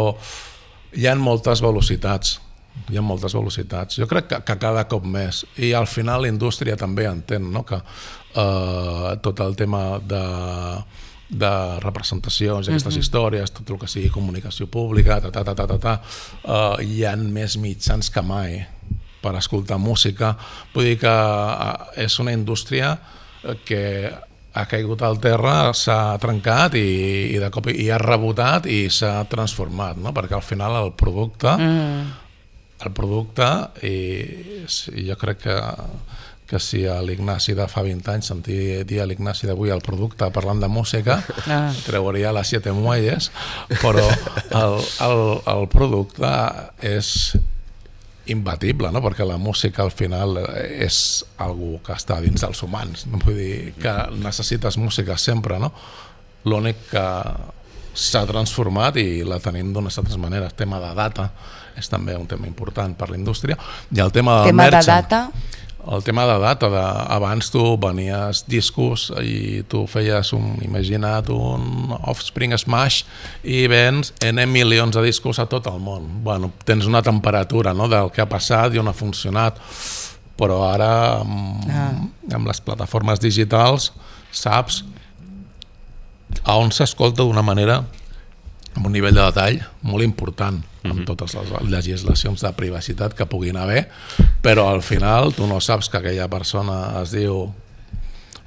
hi ha moltes velocitats, hi ha moltes velocitats. Jo crec que, que cada cop més. I al final la indústria també entén, no?, que eh, tot el tema de de representacions, aquestes uh-huh. històries, tot el que sigui comunicació pública, ta, ta, ta, ta, ta, ta, uh, hi ha més mitjans que mai per escoltar música. Vull dir que uh, és una indústria que ha caigut al terra, s'ha trencat i, i de cop i ha rebotat i s'ha transformat, no? Perquè al final el producte uh-huh. el producte i, i jo crec que que si a l'Ignasi de fa vint anys sentir dir a l'Ignasi d'avui el producte parlant de música, ah. treuria les siete muelles, però el, el, el producte és imbatible, no? Perquè la música al final és algo que està dins dels humans, no? Vull dir que necessites música sempre, no? L'únic que s'ha transformat i la tenim d'unes altres maneres. El tema de data és també un tema important per la indústria, i el tema del tema merchant. De data? El tema de data, de, abans tu venies discos i tu feies un, imagina't, un Offspring Smash i vens N milions de discos a tot el món. Bueno, tens una temperatura, no?, del que ha passat i on ha funcionat, però ara amb, ah. amb les plataformes digitals saps a on s'escolta d'una manera amb un nivell de detall molt important, amb totes les legislacions de privacitat que puguin haver, però al final tu no saps que aquella persona es diu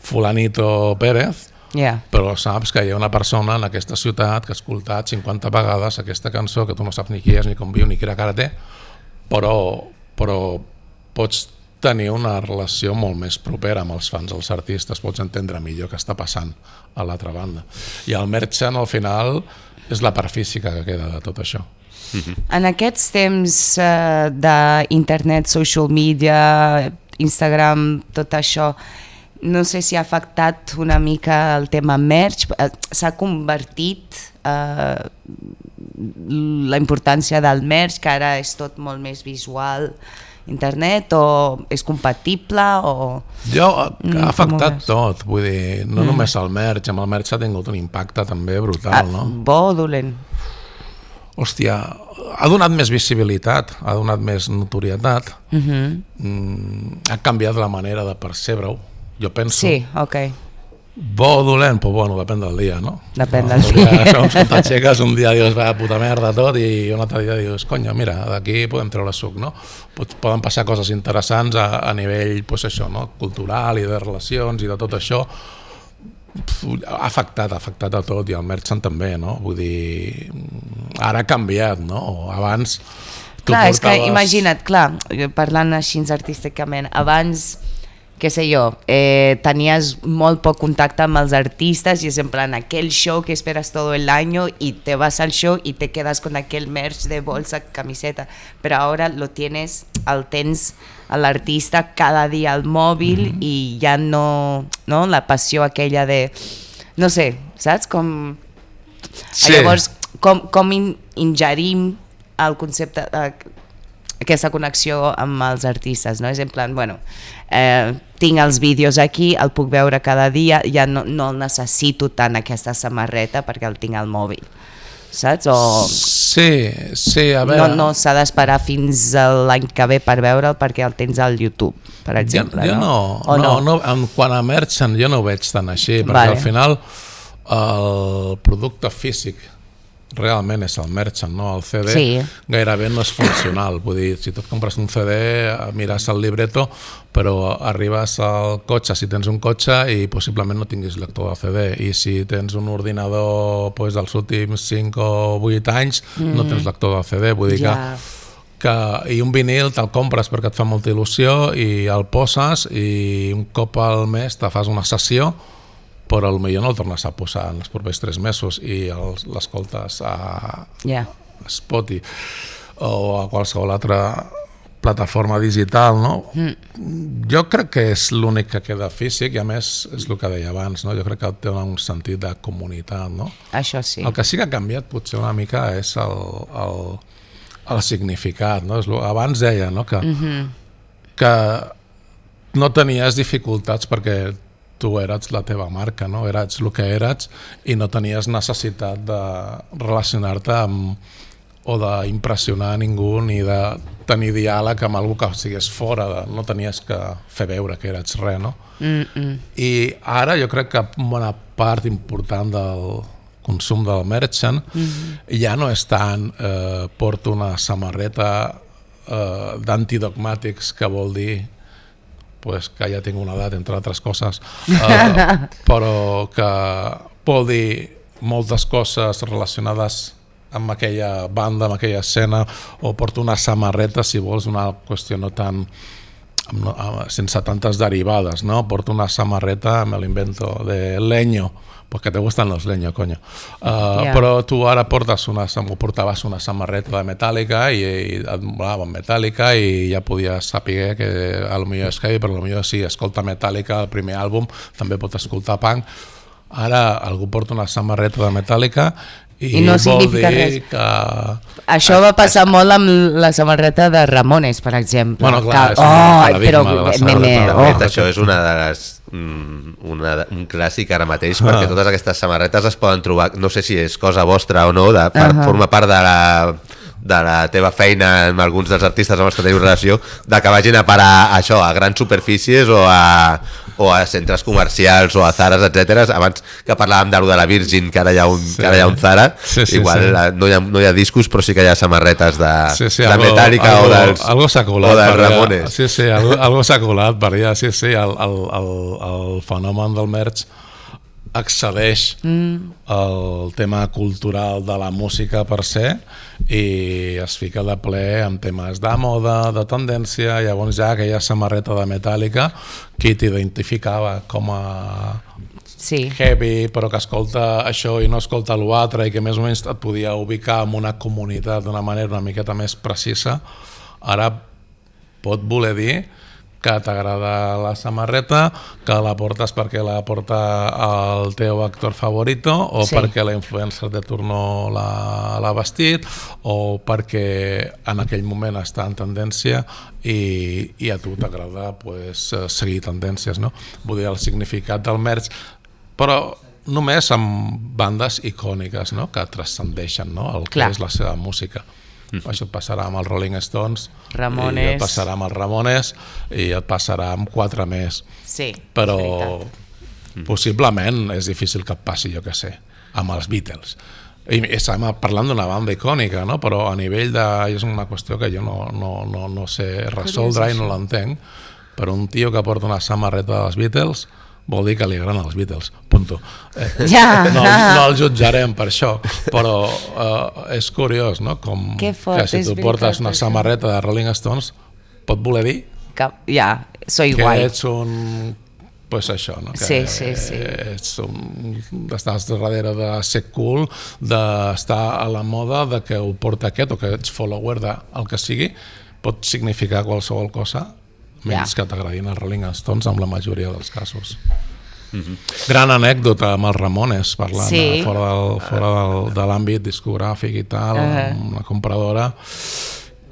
Fulanito Pérez, yeah. però saps que hi ha una persona en aquesta ciutat que ha escoltat cinquanta vegades aquesta cançó, que tu no saps ni qui és, ni com viu, ni quina cara té, però, però pots tenir una relació molt més propera amb els fans dels artistes, pots entendre millor què està passant a l'altra banda. I el merchant al final és la part física que queda de tot això. En aquests temps uh, d'internet, social media, Instagram, tot això, no sé si ha afectat una mica el tema merch, s'ha convertit uh, la importància del merch, que ara és tot molt més visual, internet, o és compatible o... Jo, ha afectat tot, vull dir, no mm. només el merch, amb el merch ha tingut un impacte també brutal, ah, no? Bo o dolent? Hòstia, ha donat més visibilitat, ha donat més notorietat, uh-huh. mm, ha canviat la manera de percebre-ho, jo penso. Sí, ok. Bo o dolent? Pues bueno, depèn del dia, no? Depèn del dia. dia. Segons quan t'aixeques, un dia dius, va, puta merda tot, i un altre dia dius, conya, mira, d'aquí podem treure suc, no? Poden passar coses interessants a, a nivell, pues això, no?, cultural i de relacions i de tot això. Ha afectat, ha afectat a tot, i el merchant també, no? Vull dir, ara ha canviat, no? Abans... Clar, portaves... és que imagina't, clar, parlant així artísticament, abans... què sé jo, eh, tenies molt poc contacte amb els artistes i és en plan aquell show que esperas todo el año y te vas al show y te quedas con aquel merch de bolsa, camiseta, pero ahora lo tienes, el tens a l'artista cada dia al mòbil, mm-hmm. i ja no, no, la passió aquella de, no sé, saps? Com... Sí. Llavors, com, com in, ingerim el concepte, eh, aquesta connexió amb els artistes, no? És en plan, bueno, eh, tinc els vídeos aquí, el puc veure cada dia, ja no, no el necessito tant aquesta samarreta perquè el tinc al mòbil, saps? O... Sí, sí, a veure... No, no s'ha d'esperar fins l'any que ve per veure'l perquè el tens al YouTube, per exemple, jo, jo no? O no, no? no, quan a merchant jo no ho veig tan així, perquè vale. Al final el producte físic realment és el merchant, no? El C D sí. Gairebé no és funcional, vull dir, si tu et compres un C D, mires el libreto, però arribes al cotxe, si tens un cotxe, i possiblement no tinguis lector de C D, i si tens un ordinador pues, dels últims cinc o vuit anys, mm. no tens lector de C D, vull dir yeah. que, que... I un vinil te'l compres perquè et fa molta il·lusió, i el poses, i un cop al mes te fas una sessió, però potser no el tornes a posar en els propers tres mesos i l'escoltes a, yeah. a Spotify o a qualsevol altra plataforma digital, no? Mm. Jo crec que és l'únic que queda físic i a més és el que deia abans, no? Jo crec que té un sentit de comunitat, no? Això sí. El que sí que ha canviat potser una mica és el, el, el significat, no? És lo, abans deia, no? Que, mm-hmm. que no tenies dificultats perquè tu eres la teva marca, no? Eres el que eres i no tenies necessitat de relacionar-te amb o d'impressionar a ningú ni de tenir diàleg amb algú que sigués fora, de, no tenies que fer veure que eres res, no? Mm-mm. I ara jo crec que una part important del consum del merchant mm-hmm. ja no és tant eh, porto una samarreta eh, d'antidogmàtics, que vol dir pues, que ja tinc una edat, entre altres coses, eh, però que vol dir moltes coses relacionades amb aquella banda, amb aquella escena, o porto una samarreta, si vols, una qüestió no tan no, sense tantes derivades, ¿no? Porto una samarreta, me lo invento, de leño, porque te gustan los leños, coño. Uh, yeah. Però tu ara portes una, portaves una samarreta de Metallica i, i et molava Metallica i ja podies saber que a lo millor és heavy, però a lo millor si escolta Metallica, el primer àlbum, també pot escoltar punk. Ara algú porta una samarreta de Metallica i, I no vol dir res. que... Això va passar molt amb la samarreta de Ramones, per exemple. Bueno, clar, que... és un oh, paradigma però, de la me, samarreta. me, De oh. fet, això és una de les, una, un clàssic ara mateix, perquè totes aquestes samarretes es poden trobar, no sé si és cosa vostra o no, de, per, uh -huh. forma part de la, de la teva feina amb alguns dels artistes amb els que teniu relació, de que vagin a parar això, a grans superfícies o a, o a centres comercials o a Zaras, etcètera. Abans que parlàvem de, de la Virgin, que ara hi ha un, sí. que ara hi ha un Zara, sí, sí, igual sí. No, hi ha, no hi ha discos, però sí que hi ha samarretes de, sí, sí, de algo, Metallica algo, o dels, algo o dels Ramones. Sí, sí, algo, algo s'ha colat per allà, sí, sí, el, el, el, el fenomen del merch excedeix mm. el tema cultural de la música per se i es fica de ple amb temes de moda, de tendència. Llavors ja aquella samarreta de Metallica qui t'identificava com a sí. heavy, però que escolta això i no escolta l'altre i que més o menys et podia ubicar en una comunitat d'una manera una miqueta més precisa, ara pot voler dir que t'agrada la samarreta, que la portes perquè la porta el teu actor favorito o sí. perquè la influencer de turno l'ha vestit o perquè en aquell moment està en tendència i, i a tu t'agrada pues, seguir tendències, no? Vull dir, el significat del merch, però només amb bandes icòniques, no? Que transcendeixen, no? El que Clar. És la seva música. Mm. Això et passarà amb els Rolling Stones, Ramones. i et passarà amb els Ramones i et passarà amb quatre més. Sí, però possiblement és difícil que et passi, jo què sé, amb els Beatles. I estem parlant d'una banda icònica, no? Però a nivell de... és una qüestió que jo no, no, no, no sé resoldre i no l'entenc, però un tio que porta una samarreta dels Beatles vol dir que li agraden els Beatles, punto. Eh, ja. no, no el jutjarem per això, però eh, és curiós, no? Com que, fort, que si tu portes una samarreta de Rolling Stones pot voler dir que, ja, soy que guai. ets un... pues això, no? Que sí, sí, sí. Ets un... estàs darrere de ser cool, d'estar a la moda, de que ho porta aquest o que ets follower del que sigui, pot significar qualsevol cosa menys yeah. que t'agradin els Rolling Stones en la majoria dels casos. Mm-hmm. Gran anècdota amb els Ramones, parlant sí. de, fora, del, fora del, de l'àmbit discogràfic i tal, uh-huh. amb una compradora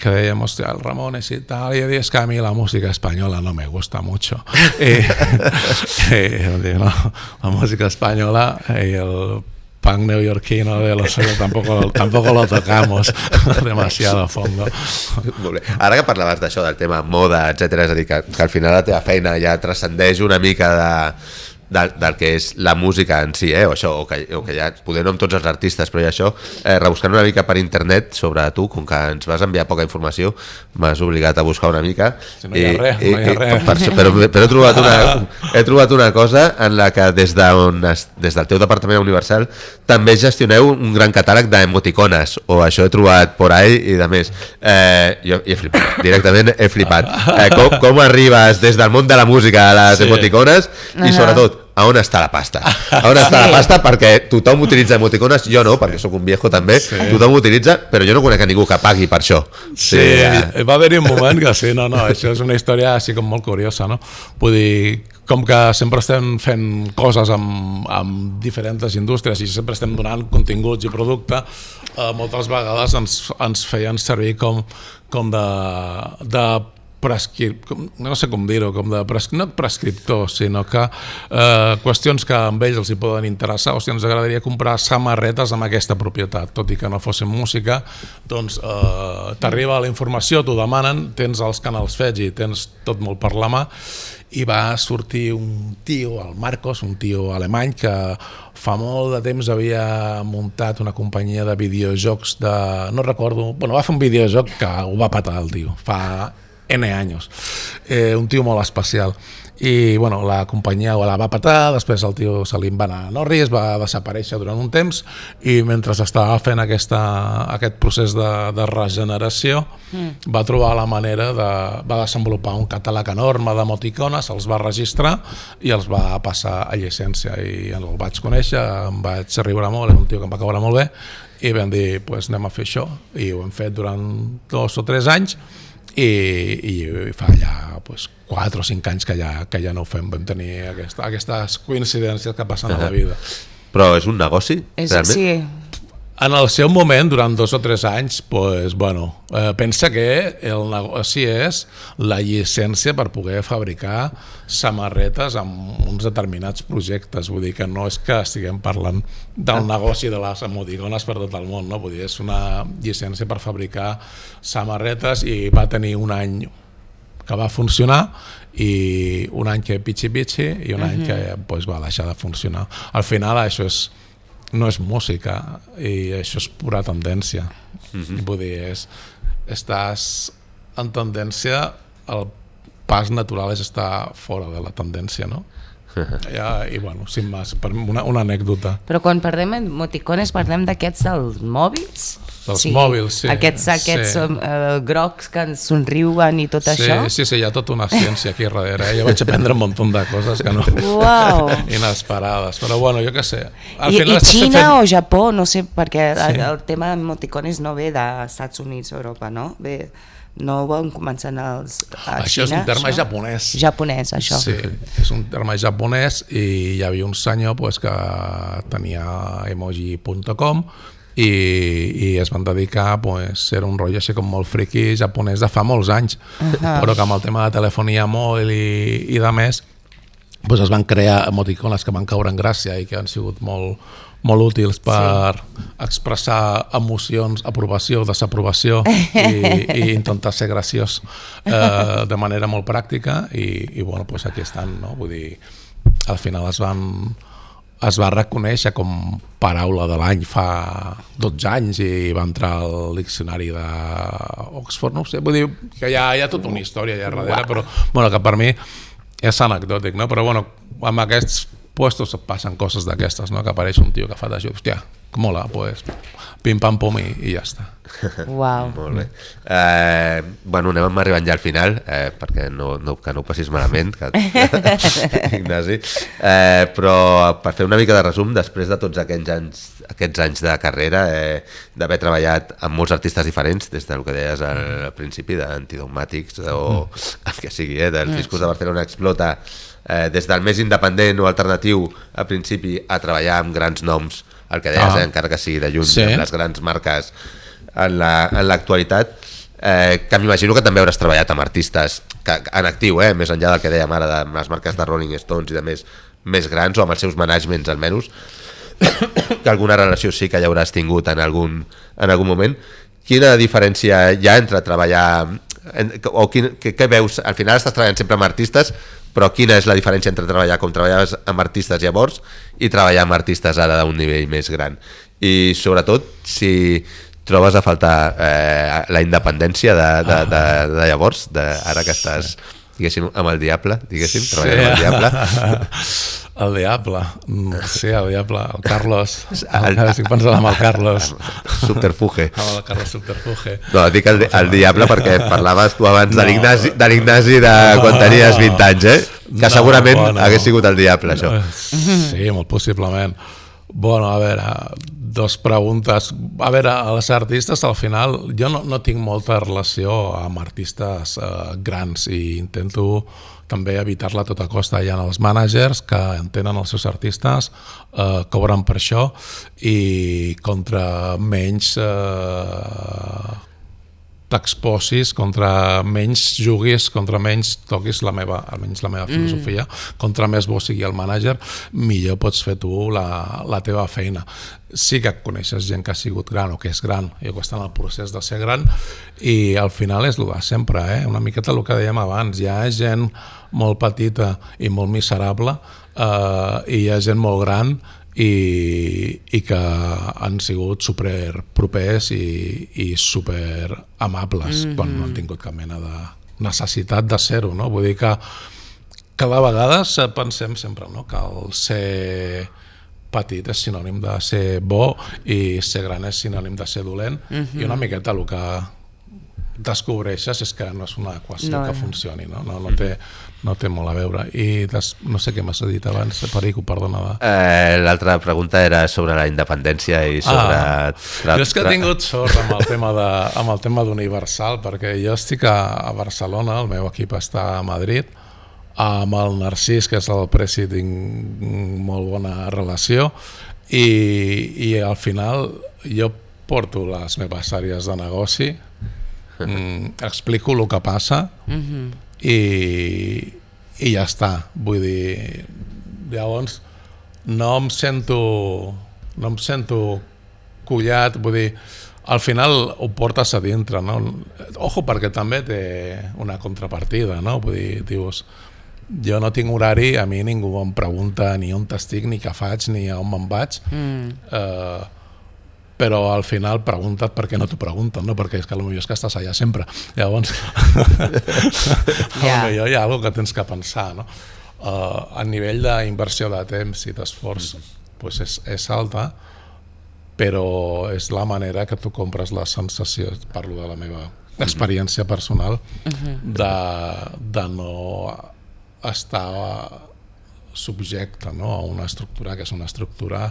que dèiem, hòstia, el Ramones i tal, i dius que a mi la música espanyola no me gusta mucho. I, i no, la música espanyola i el punk neoyorquino de los suelos tampoco, tampoco lo tocamos demasiado a fondo. Molt bé. Ara que parlaves d'això, del tema moda, etcètera, és a dir, que, que al final la teva feina ja transcendeix una mica de, del, del que és la música en si, eh? o, això, o, que, o que ja, poder no amb tots els artistes, però ja això, eh, rebuscant una mica per internet sobre tu, com que ens vas enviar poca informació, m'has obligat a buscar una mica. Si no hi ha res, i, no hi ha res. Per, però, però he trobat, una, he trobat una cosa en la que des, de on, des del teu departament Universal també gestioneu un gran catàleg d'emoticones, o això he trobat por ahí i de més. Eh, jo he flipat, directament he flipat. Eh, com, com arribes des del món de la música a les sí. emoticones i sobretot a on està la pasta? A on està la pasta? Perquè tothom utilitza emoticones, jo no, perquè sóc un viejo també, sí. Tothom utilitza, però jo no conec a ningú que pagui per això. Sí, sí ja. Va haver-hi un moment que sí, no, no, això és una història així com molt curiosa, no? Vull dir, com que sempre estem fent coses amb, amb diferents indústries i sempre estem donant continguts i producte, eh, moltes vegades ens, ens feien servir com, com de... de prescrip... no sé com dir-ho, com de pres... no prescriptor, sinó que eh, qüestions que amb ells els hi poden interessar, o sigui, ens agradaria comprar samarretes amb aquesta propietat, tot i que no fossin música, doncs eh, t'arriba la informació, t'ho demanen, tens els canals fets i tens tot molt per la mà, i va sortir un tio, el Marcos, un tio alemany que fa molt de temps havia muntat una companyia de videojocs de... no recordo... bueno, va fer un videojoc que ho va patar el tio, fa N anys. Eh, un tio molt especial. I bueno, la companyia la va patar, després el tio se li va anar a Norris, va desaparèixer durant un temps i mentre estava fent aquesta, aquest procés de, de regeneració mm. va trobar la manera de... va desenvolupar un catàleg enorme d'emoticones, els va registrar i els va passar a llicència i el vaig conèixer, em vaig riure molt, era un tio que em va caure molt bé i vam dir, pues, anem a fer això i ho hem fet durant dos o tres anys i, i fa ja pues, quatre o cinc anys que ja, que ja no ho fem, vam tenir aquesta, aquestes coincidències que passen a la vida. Però és un negoci, és, realment? Sí. En el seu moment, durant dos o tres anys, pues, bueno, eh, pensa que el negoci és la llicència per poder fabricar samarretes amb uns determinats projectes. Vull dir que no és que estiguem parlant del negoci de les emoticones per tot el món, no? Vull dir, és una llicència per fabricar samarretes i va tenir un any que va funcionar i un any que pitxi-pitxi i un uh-huh. any que pues, va deixar de funcionar. Al final això és no és música i això és pura tendència. Uh-huh. Vull dir, és, estàs en tendència, el pas natural és estar fora de la tendència, no? Uh-huh. Ja, i bueno, sin més, una, una anècdota. Però quan parlem emoticones parlem d'aquests dels mòbils? Dels sí. mòbils, sí. Aquests, aquests sí. uh, grocs que ens somriuen i tot sí, això? Sí, sí, hi ha tota una ciència aquí darrere. Eh? Jo vaig aprendre un munt de coses que no... Wow. Inesperades, però bueno, jo què sé. Al I, i Xina fent... o Japó, no sé, perquè sí. el, el tema d'emoticones no ve dels Estats Units o Europa, no? Ve... No ho van començar als, a això Xina? Això és un terme això? japonès. Japonès, això. Sí, és un terme japonès i hi havia un senyor pues, que tenia emoji punt com i, i es van dedicar pues, a ser un rotllo així com molt friqui japonès de fa molts anys, uh-huh. però que amb el tema de telefonia mòbil i, i de més pues, es van crear emoticones que van caure en gràcia i que han sigut molt molt útils per sí. expressar emocions, aprovació, desaprovació i, i intentar ser graciós eh, de manera molt pràctica i, i bueno, pues aquí estan, no? Vull dir, al final es van es va reconèixer com paraula de l'any fa dotze anys i va entrar al diccionari d'Oxford, no sé, vull dir que hi ha, hi ha tota una història allà darrere, però bueno, que per mi és anecdòtic, no? Però bueno, amb aquests puestos passen coses d'aquestes, no? Que apareix un tio que fa d'això, hòstia, que mola, pues, pim-pam-pum i, i ja està. Uau. Molt bé. Eh, bueno, anem arribant ja al final, eh, perquè no, no, que no ho passis malament, que... Ignasi. Eh, però per fer una mica de resum, després de tots aquests anys, aquests anys de carrera, eh, d'haver treballat amb molts artistes diferents, des del que deies al principi, d'Antidogmàtics o el que sigui, eh, dels discos de Barcelona Explota, eh, des del més independent o alternatiu al principi a treballar amb grans noms, el que deies, ah. eh, encara que sigui de lluny, sí. amb les grans marques en l'actualitat, la, eh, que m'imagino que també hauràs treballat amb artistes que, en actiu, eh, més enllà del que dèiem ara de les marques de Rolling Stones i de més, més grans, o amb els seus managements almenys, que alguna relació sí que ja hauràs tingut en algun, en algun moment. Quina diferència hi ha entre treballar en, o quin, què, què veus? Al final estàs treballant sempre amb artistes, però quina és la diferència entre treballar com treballaves amb artistes llavors i treballar amb artistes ara d'un nivell més gran? I sobretot si trobes a faltar eh, la independència de, de, de, de llavors, de, ara que estàs, diguéssim, amb el diable, diguéssim, treballant sí. amb el diable. El diable, sí, el diable, el Carlos, el, el, estic pensant amb el Carlos. Subterfuge. Amb el Carlos Subterfuge. No, dic el, el diable perquè parlaves tu abans de l'Ignasi de, de quan tenies vint anys, eh? Que no, segurament bueno, hagués sigut el diable, això. Sí, molt possiblement. Bueno, a veure, dos preguntes. A veure, els artistes, al final, jo no, no tinc molta relació amb artistes eh, grans i intento també evitar-la a tota costa. Hi ha els mànagers que entenen els seus artistes, eh, cobren per això i contra menys eh, t'exposis, contra menys juguis, contra menys toquis la meva, almenys la meva filosofia, mm. contra més bo sigui el mànager, millor pots fer tu la, la teva feina. Sí que coneixes gent que ha sigut gran o que és gran i que està en el procés de ser gran i al final és el de sempre, eh? Una miqueta el que dèiem abans, hi ha gent molt petita i molt miserable eh, i hi ha gent molt gran i, i que han sigut super propers i, i super amables, mm-hmm. quan no han tingut cap mena de necessitat de ser-ho, no? Vull dir que cada vegada pensem sempre, no? Que el ser petit és sinònim de ser bo i ser gran és sinònim de ser dolent, mm-hmm. i una miqueta el que descobreixes és que no és una equació no, que funcioni, no? No, no, té, no té molt a veure. I des, no sé què m'has dit abans, Perico, perdona. Eh, L'altra pregunta era sobre la independència i sobre... Ah, tra... Jo és que he tingut sort amb el tema de, amb el tema d'Universal, perquè jo estic a, a Barcelona, el meu equip està a Madrid, amb el Narcís, que és el presi, tinc molt bona relació, i, i al final jo porto les meves àrees de negoci, Mm, explico el que passa mm-hmm. i, i ja està, vull dir, llavors no em sento no em sento collat, vull dir, al final ho portes a dintre, no? Ojo, perquè també té una contrapartida, no? Vull dir, dius, jo no tinc horari, a mi ningú em pregunta ni on estic, ni què faig, ni a on me'n vaig, mm. eh, però al final pregunta't per què no t'ho pregunten, no? Perquè és que potser és que estàs allà sempre. Llavors, yeah. potser hi ha alguna cosa que tens que pensar, no? Uh, a nivell d'inversió de temps i d'esforç pues és, és alta, però és la manera que tu compres la sensació, parlo de la meva experiència personal, de, de no estar subjecte, no? A una estructura que és una estructura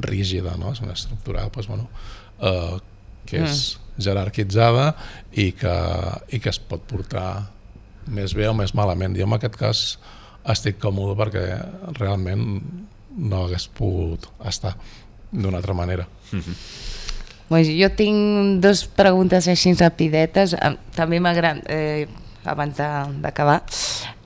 rígida, no? És una estructura pues, bueno, eh, que és mm. jerarquitzada i que, i que es pot portar més bé o més malament. Jo en aquest cas estic còmode perquè realment no hagués pogut estar d'una altra manera. Mm-hmm. Pues jo tinc dues preguntes així rapidetes. També m'agrada, eh, abans d'acabar,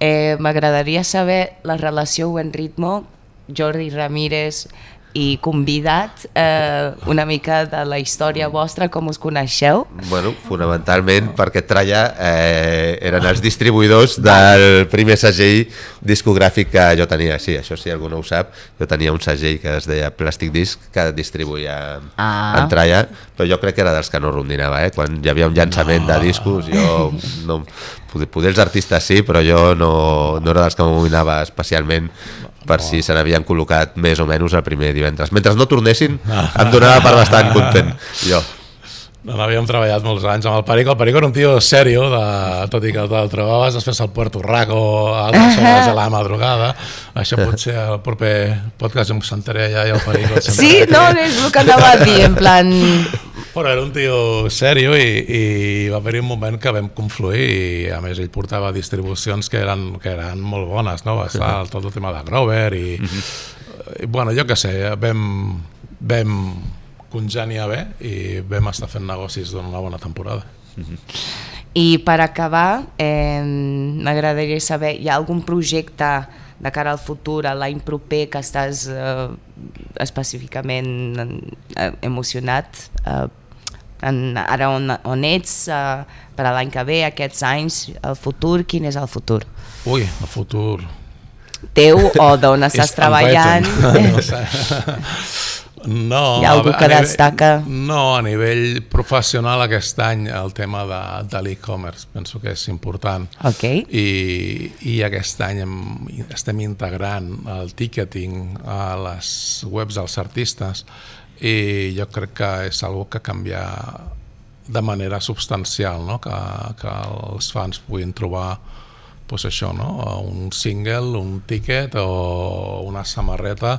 eh, m'agradaria saber la relació o en ritmo Jordi Ramírez i convidat, eh, una mica de la història vostra, com us coneixeu? Bueno, fonamentalment perquè Tralla eh, eren els distribuïdors del primer segell discogràfic que jo tenia. Sí, això si algú no ho sap, jo tenia un segell que es deia Plastic Disc que distribuïa ah. en Tralla, però jo crec que era dels que no rondinava, eh? Quan hi havia un llançament no. de discos, jo no, poder els artistes sí, però jo no, no era dels que m'amoïnava especialment per si se n'havien col·locat més o menys el primer divendres. Mentre no tornessin, em donava per bastant content, jo. No, havíem treballat molts anys amb el Perico. El Perico era un tio serio, de, tot i que el trobaves després al Puerto Rico, a les hores de la madrugada. Això potser el proper podcast em sentaré allà i el Perico... Sí, no, és el que anava a dir, en plan... Però era un tio serio i, i va haver-hi un moment que vam confluir i a més ell portava distribucions que eren, que eren molt bones, no? Va estar tot el tema de Grover i, mm-hmm. i bueno, jo què sé, vam, vam congeniar bé i vam estar fent negocis durant una bona temporada. Mm-hmm. I per acabar, eh, m'agradaria saber, hi ha algun projecte de cara al futur, a l'any proper, que estàs eh, específicament eh, emocionat eh, en, ara on, on ets, uh, per a l'any que ve, aquests anys, el futur, quin és el futur? Ui, el futur... Teu o d'on estàs treballant? No, hi ha algú que destaca? No, a nivell professional aquest any el tema de, de l'e-commerce penso que és important. Okay. I, i aquest any hem, estem integrant el ticketing a les webs dels artistes i jo crec que és algo que canvia de manera substancial, no? que, que els fans puguin trobar pues això, no? Un single, un tiquet o una samarreta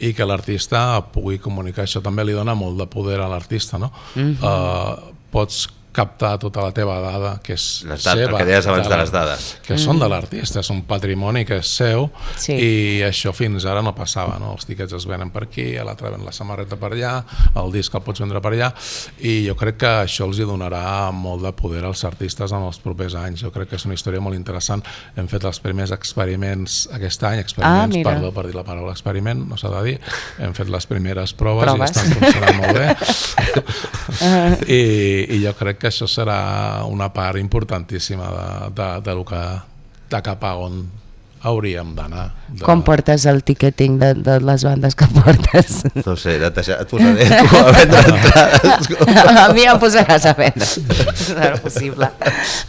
i que l'artista pugui comunicar. Això també li dona molt de poder a l'artista, no? Mm-hmm. uh, pots captar tota la teva dada, que és les seva. El que deies abans de les dades. Que són de l'artista, és un patrimoni que és seu, sí. I això fins ara no passava, no? Els tiquets es venen per aquí, l'altre ven la samarreta per allà, el disc el pots vendre per allà, i jo crec que això els hi donarà molt de poder als artistes en els propers anys. Jo crec que és una història molt interessant. Hem fet els primers experiments aquest any, experiments, ah, perdó per dir la paraula experiment, no s'ha de dir, hem fet les primeres proves, proves. I estan funcionant molt bé. I, i jo crec que que això serà una part importantíssima de, de, de, lo que, de cap a on hauríem d'anar. De... Com portes el ticketing de, de les bandes que portes? No sé, et, et posaré tu a vendre entrades. A mi em posaràs a vendre, serà possible.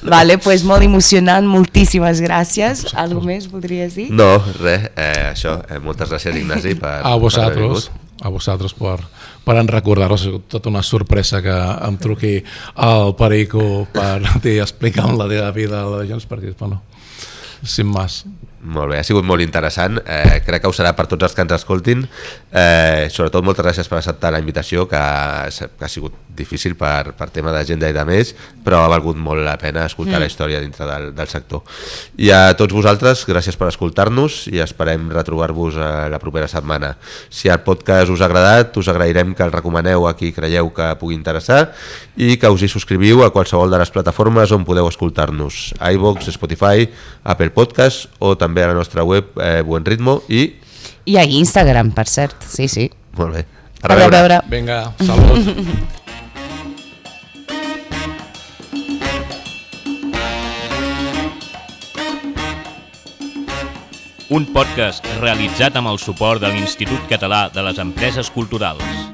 Vale, pues molt emocionant, moltíssimes gràcies. Algo més voldries dir? No, res, eh, això, eh, moltes gràcies Ignasi per, a vosaltres, per a vosaltres per, per en recordar-vos. Ha sigut tota una sorpresa que em truqui al Perico per explicar la teva vida a la de Junts, perquè, bueno, sin más. Molt bé, ha sigut molt interessant, eh, crec que ho serà per tots els que ens escoltin, eh, sobretot moltes gràcies per acceptar la invitació, que ha, que ha sigut difícil per, per tema d'agenda i de més, però ha valgut molt la pena escoltar mm. la història dintre del, del sector. I a tots vosaltres, gràcies per escoltar-nos i esperem retrobar-vos la propera setmana. Si el podcast us ha agradat, us agrairem que el recomaneu a qui creieu que pugui interessar i que us hi subscriviu a qualsevol de les plataformes on podeu escoltar-nos, iVoox, Spotify, Apple Podcast o també a la nostra web eh, Buen Ritmo i... I a Instagram, per cert, sí, sí. Molt bé. A, a veure. veure. Vinga, salut. Un podcast realitzat amb el suport de l'Institut Català de les Empreses Culturals.